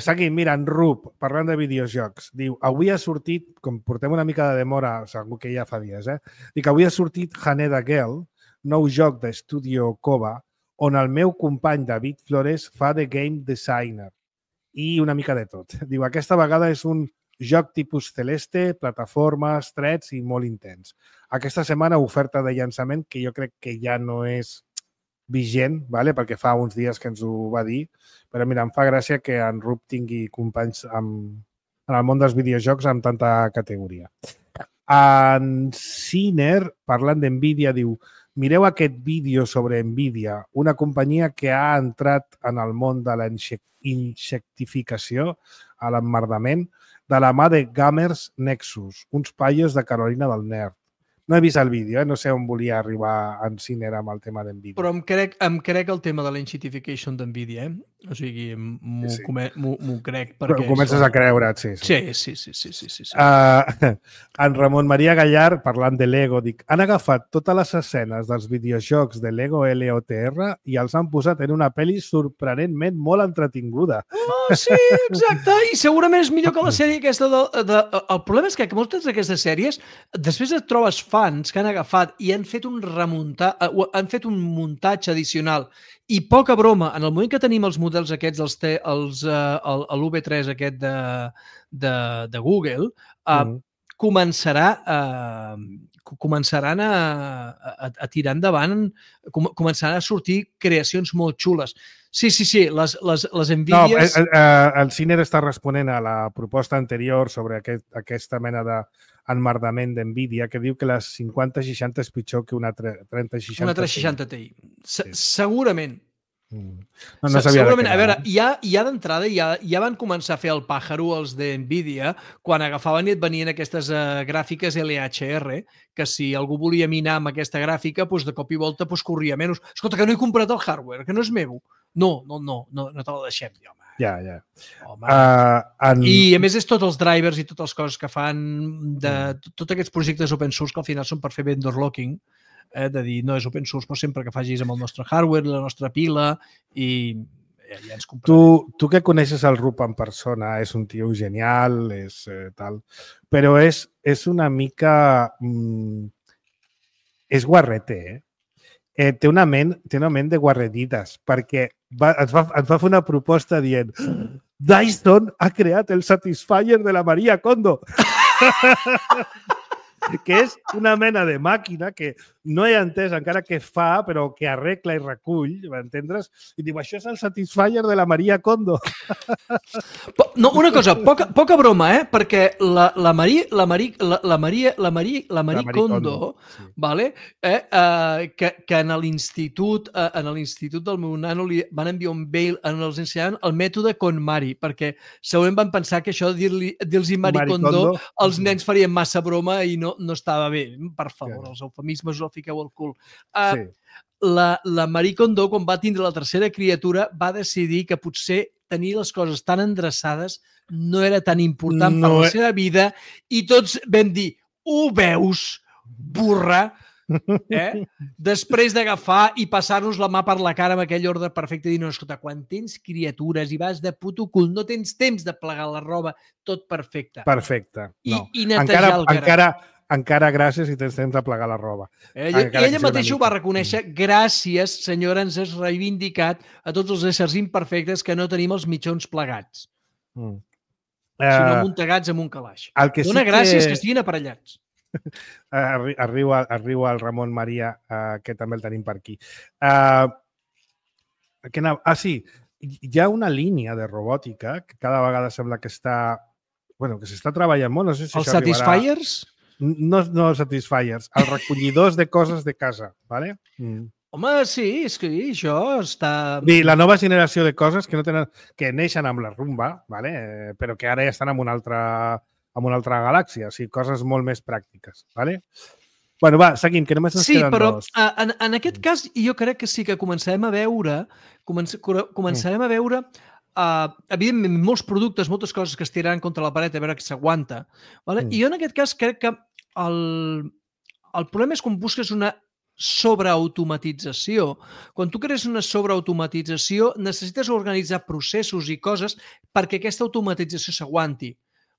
seguim. Mira, en Rup, parlant de videojocs, diu, avui ha sortit, com portem una mica de demora, segur que ja fa dies, dic, avui ha sortit Haneda Girl, nou joc d'Estudio Koba, on el meu company David Flores fa de game designer i una mica de tot. Diu, aquesta vegada és un joc tipus Celeste, plataformes, trets i molt intens. Aquesta setmana oferta de llançament que jo crec que ja no és vigent, vale? Perquè fa uns dies que ens ho va dir, però mira, em fa gràcia que en Rup tingui companys en el món dels videojocs amb tanta categoria. En Ciner, parlant d'NVIDIA, diu, mireu aquest vídeo sobre NVIDIA, una companyia que ha entrat en el món de la insectificació, a l'emmerdament, de la mà de Gamers Nexus, uns paios de Carolina del Nord. No he vist el vídeo, no sé on volia arribar en Ciner amb el tema d'NVIDIA. Però em crec el tema de la insectification d'NVIDIA, O sigui, m'ho crec. Però comences a creure't, sí. Sí. En Ramon Maria Gallar, parlant de Lego, dic, han agafat totes les escenes dels videojocs de Lego LOTR i els han posat en una pel·li sorprenentment molt entretinguda. Sí, exacte, i segurament és millor que la sèrie aquesta. El problema és que moltes d'aquestes sèries, després et trobes fans que han agafat i han fet un muntatge addicional. I poca broma, en el moment que tenim els models aquests, l'UV3 aquest de Google, començaran a tirar endavant, començaran a sortir creacions molt xules. Sí, les Nvidias... No, el Ciner està responent a la proposta anterior sobre aquesta mena d'enmerdament d'Nvidia, que diu que la 5060 és pitjor que una 3060. Una 360 Ti. Segurament. No sabia segurament, a veure, ja d'entrada ja van començar a fer el pàjaro els d'Nvidia quan agafaven i et venien aquestes gràfiques LHR, que si algú volia minar amb aquesta gràfica, doncs de cop i volta corria menys. Escolta, que no he comprat el hardware, que no és meu. No te la deixem, home. Ja. Home. I a més és tots els drivers i totes les coses que fan de tots aquests projectes open source que al final són per fer vendor locking, de dir, no és open source, però sempre que facis amb el nostre hardware, la nostra pila, i ja ens comprarem. Tu que coneixes el Rup en persona, és un tio genial, és tal, però és una mica... és guarrete, té una ment de guarredites, perquè ens va fer una proposta dient Dyson ha creat el Satisfyer de la Maria Kondo. Que és una mena de màquina que no he entès encara què fa, però que arregla i recull, m'entendres? I diu, això és el Satisfyer de la Maria Kondo. No, una cosa, poca broma, perquè la Marie Kondo, sí. Vale? Que en l'institut del meu nano li van enviar un mail on els ensenyaven el mètode KonMari, perquè segurament van pensar que això de dir-los Marie Kondo els nens farien massa broma i no estava bé. Per favor, els eufemismes us el fiqueu al cul. Sí. La Marie Kondo, quan va tindre la tercera criatura, va decidir que potser tenir les coses tan endreçades no era tan important per la seva vida i tots vam dir, ho veus, burra? Després d'agafar i passar-nos la mà per la cara amb aquell ordre perfecte i dir, no, escolta, quan tens criatures i vas de puto cul, no tens temps de plegar la roba, tot perfecte. Perfecte. No. I netejar el garat. Encara gràcies i tens temps de plegar la roba. Ella mateixa ho va reconèixer. Gràcies, senyora, ens has reivindicat a tots els éssers imperfectes que no tenim els mitjons plegats. Sinó muntegats amb un calaix. Dona gràcies que estiguin aparellats. Arriba el Ramon Maria, que també el tenim per aquí. Sí, hi ha una línia de robòtica que cada vegada sembla que s'està treballant molt. No sé si els Satisfyers? No els Satisfyers, els recollidors de coses de casa, ¿vale? Home, sí, és que això està... La nova generació de coses que neixen amb la Rumba, ¿vale? Però que ara ja estan en una altra galàxia, o sigui, coses molt més pràctiques, ¿vale? Bueno, va, seguim, que només ens queden dos. Sí, però en aquest cas jo crec que sí que començarem a veure evidentment, molts productes, moltes coses que es tiraran contra la paret a veure que s'aguanta. I jo en aquest cas crec que el problema és quan busques una sobreautomatització. Quan tu crees una sobreautomatització, necessites organitzar processos i coses perquè aquesta automatització s'aguanti.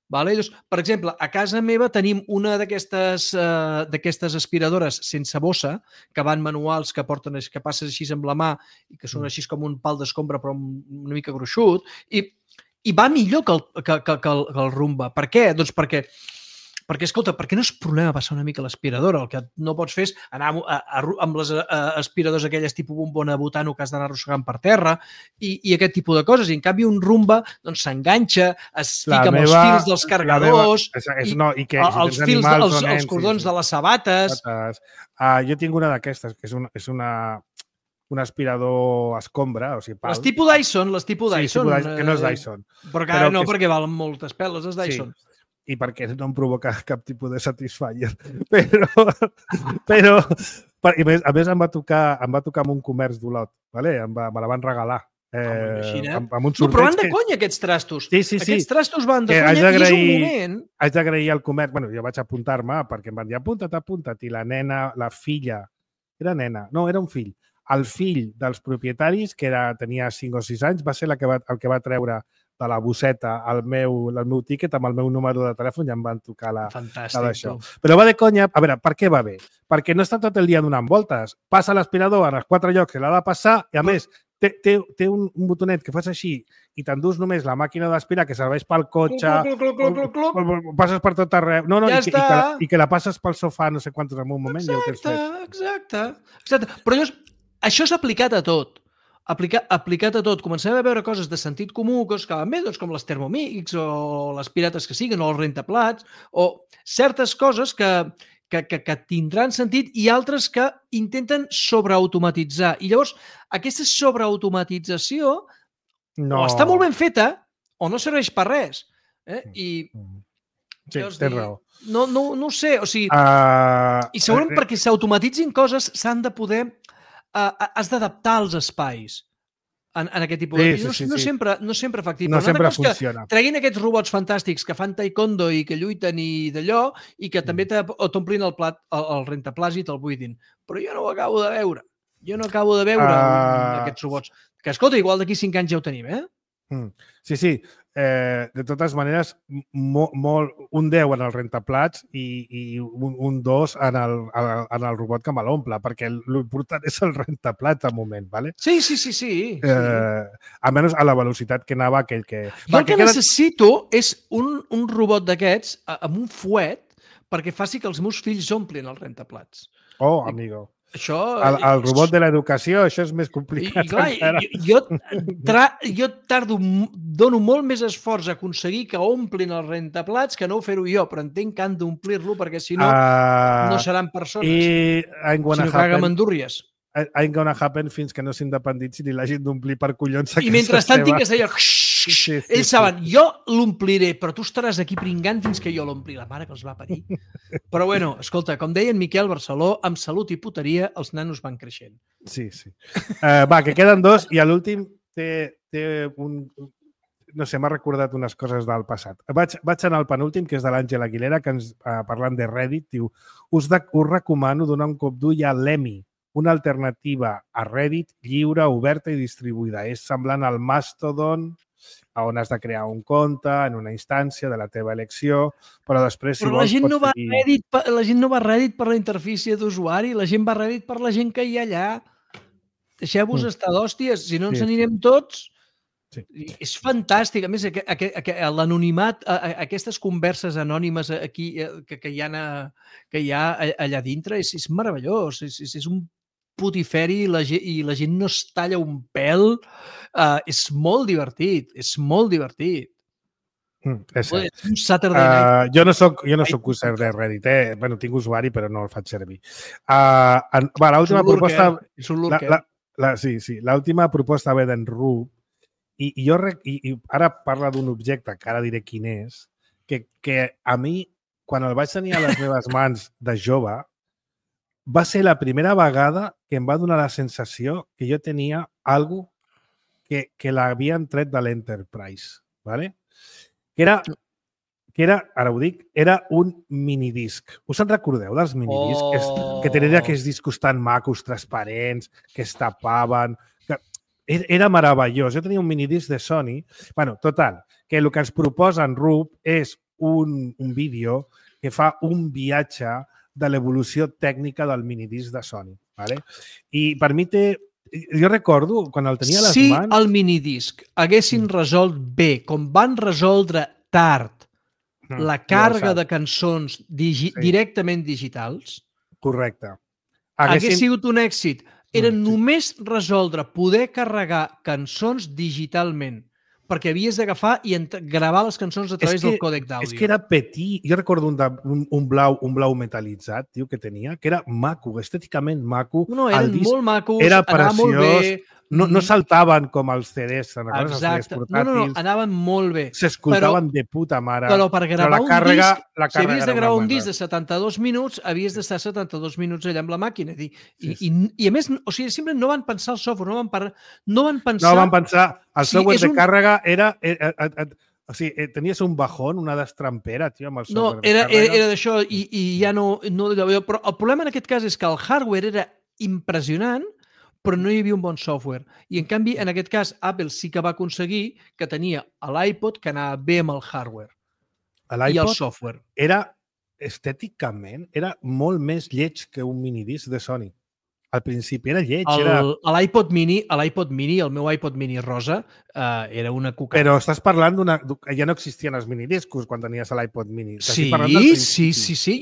Per exemple, a casa meva tenim una d'aquestes aspiradores sense bossa, que van manuals, que passes així amb la mà i que són així com un pal d'escombra però una mica gruixut, i va millor que el Rumba. Per què? Doncs perquè, escolta, per què no és problema passar una mica l'aspiradora? El que no pots fer és anar amb les aspiradores aquelles tipus bombona butano que has d'anar arrossegant per terra i aquest tipus de coses. I en canvi un Rumba s'enganxa, es fica amb els fils dels cargadors, els fils dels cordons de les sabates. Jo tinc una d'aquestes, que és un aspirador escombra, o sigui, pal. Les tipus Dyson. Que no és Dyson. Però no, perquè valen moltes peles, és Dyson. I perquè no em provoca cap tipus de Satisfyer. Però a més em va tocar amb un comerç d'Olot, me la van regalar. Amb un sorteig. Però van de conya aquests trastos. Sí. Aquests trastos van de conya i és un moment... Haig d'agrair al comerç. Jo vaig apuntar-me perquè em van dir apunta't. I la nena, la filla... Era nena? No, era un fill. El fill dels propietaris, que tenia 5 o 6 anys, va ser el que va treure de la bosseta el meu tíquet amb el meu número de telèfon i em van tocar d'això. Però va de conya. A veure, per què va bé? Perquè no està tot el dia donant voltes. Passa l'aspirador en els 4 llocs que l'ha de passar i, a més, té un botonet que fas així i t'endús només la màquina d'aspirar que serveix pel cotxe, passes per tot arreu. No, Ja i que la passes pel sofà no sé quantos en un moment. Exacte. Però llavors, això és aplicat a tot. Aplicat a tot. Comencem a veure coses de sentit comú, coses que van bé, doncs com les Thermomix o les pirates que siguin, o els rentaplats, o certes coses que tindran sentit i altres que intenten sobreautomatitzar. I llavors, aquesta sobreautomatització o està molt ben feta o no serveix per res. Sí, tens raó. No ho sé. O sigui, i segurament perquè s'automatitzin coses s'han de poder... has d'adaptar els espais en aquest tipus de... No sempre factible. No sempre funciona. Treguin aquests robots fantàstics que fan taekwondo i que lluiten i d'allò i que també t'omplin el plat, el rentaplats i te'l buidin. Però jo no ho acabo de veure. Aquests robots. Que, escolta, igual d'aquí 5 anys ja ho tenim, Sí. De totes maneres, un 10 en el rentaplats i un 2 en el robot que me l'omple, perquè l'important és el rentaplats al moment, ¿vale? Sí. Almenys a la velocitat que anava aquell que... Jo el que necessito és un robot d'aquests amb un fuet perquè faci que els meus fills omplin els rentaplats. Oh, amigo. Això... El robot de l'educació, això és més complicat. Jo dono molt més esforç a aconseguir que omplin els rentaplats que no ho fer-ho jo, però entenc que han d'omplir-lo perquè si no, no seran persones. Sinó que haguem endúrries. Ain't gonna happen fins que no s'independitzi i l'hagin d'omplir per collons a casa seva. I mentrestant tinc que ser allò... Ells saben, jo l'ompliré, però tu estaràs aquí pringant fins que jo l'ompli. La mare que els va parir. Però bueno, escolta, com deia en Miquel Barceló, amb salut i puteria els nanos van creixent. Sí. Va, que queden 2 i l'últim té un... No sé, m'ha recordat unes coses del passat. Vaig anar al penúltim, que és de l'Àngel Aguilera, que ens parlant de Reddit, diu: us recomano donar un cop d'ull a l'Emmy, una alternativa a Reddit lliure, oberta i distribuïda. És semblant al Mastodon, on has de crear un compte en una instància de la teva elecció, però després... Però la gent no va a Reddit per la interfície d'usuari, la gent va a Reddit per la gent que hi ha allà. Deixeu-vos estar d'hòsties, si no ens anirem tots... Sí. És fantàstic. A més, l'anonimat, aquestes converses anònimes aquí que hi ha allà dintre, és meravellós. És un putiferi i la gent no es talla un pèl. És molt divertit. És un Saturday Night. Jo no soc user de Reddit. Bueno, tinc usuari, però no el faig servir. L'última proposta... És un lurker. Sí, l'última proposta ve d'en Rub, i ara parla d'un objecte, que ara diré quin és, que a mi, quan el vaig tenir a les meves mans de jove, va ser la primera vegada que em va donar la sensació que jo tenia alguna cosa que l'havien tret de l'Enterprise, ¿vale? Que era, ara ho dic, era un minidisc. Us en recordeu dels minidiscs? Que tenien aquests discos tan macos, transparents, que es tapaven... Era meravellós. Jo tenia un minidisc de Sony. Bueno, total, que el que ens proposa en Rub és un vídeo que fa un viatge de l'evolució tècnica del minidisc de Sony. ¿Vale? I per mi té... Jo recordo, quan el tenia a les mans... Si el minidisc haguessin resolt bé, com van resoldre tard la càrrega de cançons directament digitals... Correcte. Hagués sigut un èxit. Era només resoldre poder carregar cançons digitalment, perquè havies d'agafar i gravar les cançons a través del còdec d'àudio. És que era petit. Jo recordo un blau metal·litzat, que tenia, que era maco, estèticament maco. No, eren molt macos, era anava molt bé. No saltaven com els CDs, els CDs portàtils. No, anaven molt bé. S'escoltaven de puta mare. Però per gravar un disc, si havies de gravar un disc de 72 minuts, havies d'estar 72 minuts allà amb la màquina. I a més, o sigui, simplement no van pensar el software, no van pensar... El software de càrrega era... O sigui, tenies un bajón, una destrampera, tio, amb el software de càrrega. No, era d'això i ja no... Però el problema en aquest cas és que el hardware era impressionant, però no hi havia un bon software. I, en canvi, en aquest cas, Apple sí que va aconseguir que tenia l'iPod que anava bé amb el hardware i el software. Era, estèticament, era molt més lleig que un minidisc de Sony. Al principi era lleig. L'iPod Mini, el meu iPod Mini rosa, era una cuca. Però estàs parlant ja no existien els minidiscos quan tenies l'iPod Mini. Sí.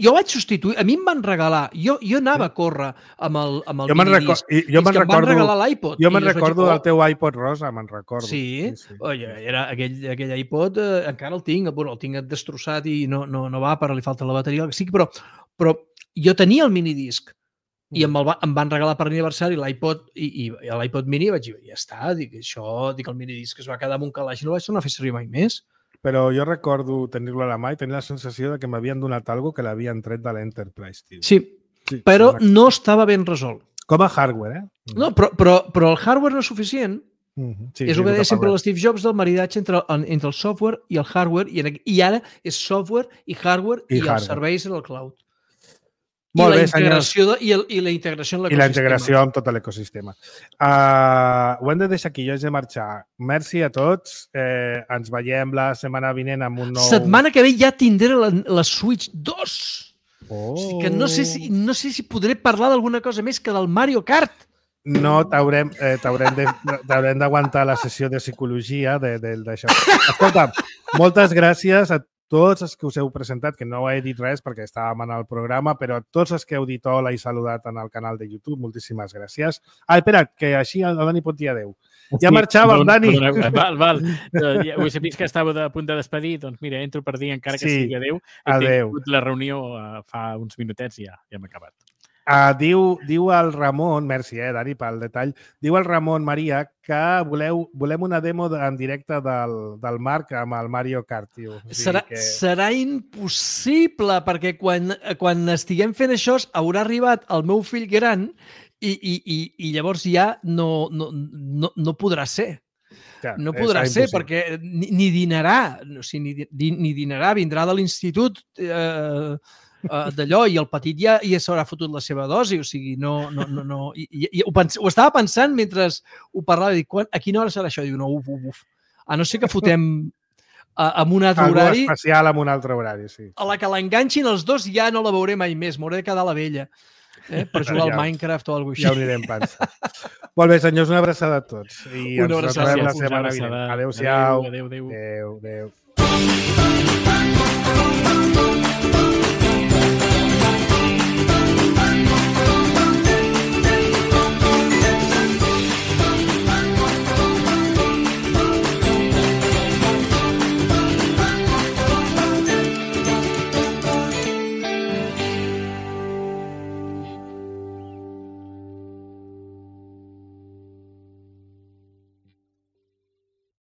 Jo vaig substituir... A mi em van regalar... Jo anava a córrer amb el minidisc. Jo me'n recordo... Em van regalar l'iPod. Jo me'n recordo del teu iPod rosa, me'n recordo. Sí. Era aquell iPod, encara el tinc. Bueno, el tinc destrossat i no va, però li falta la bateria. Sí, però jo tenia el minidisc. I em van regalar per aniversari l'iPod i l'iPod Mini i vaig dir, ja està, el minidisc es va quedar amb un calaix i no el vaig tornar a fer servir mai més. Però jo recordo tenir-lo a la mà i tenir la sensació de que m'havien donat alguna que l'havien tret de l'Enterprise, tio. Sí, però no estava ben resolt. Com a hardware, No, però el hardware no és suficient. És el que deia sempre l'Steve Jobs del maridatge entre el software i el hardware, i ara és software i hardware i els serveis en el cloud. I la integració en l'ecosistema. I la integració amb tot l'ecosistema. Ho hem de deixar aquí, jo haig de marxar. Merci a tots. Ens veiem la setmana vinent amb un nou... Setmana que ve ja tindré la Switch 2. O sigui que no sé si podré parlar d'alguna cosa més que del Mario Kart. No, t'haurem d'aguantar la sessió de psicologia d'això. Escolta, moltes gràcies a tots els que us heu presentat, que no he dit res perquè estàvem en el programa, però a tots els que heu dit hola i saludat en el canal de YouTube, moltíssimes gràcies. Espera't, que així el Dani pot dir adeu. Ja marxàvem, Dani. Val. Ja ho he sabut que estàveu a punt de despedir, doncs mira, entro per dir encara que sigui adeu. He tingut la reunió fa uns minutets i ja hem acabat. Diu el Ramon, merci, Dani, pel detall, diu el Ramon Maria que volem una demo en directe del Marc amb el Mario Kart. Serà impossible, perquè quan estiguem fent això haurà arribat el meu fill gran i llavors ja no podrà ser. No podrà ser, perquè ni dinarà, ni dinarà, vindrà de l'institut d'allò i el petit ja s'haurà fotut la seva dosi, o sigui, no. Ho estava pensant mentre ho parlava, dic, a quina hora serà això? Diu, no, uf. A no ser que fotem amb un altre horari. Algo especial amb un altre horari, sí. A la que l'enganxin els dos ja no la veuré mai més, m'hauré de quedar a la vella per jugar al Minecraft o alguna cosa així. Ja ho anirem pensant. Molt bé, senyors, una abraçada a tots. I ens retrobem la setmana vinent. Adéu-siau. Adéu.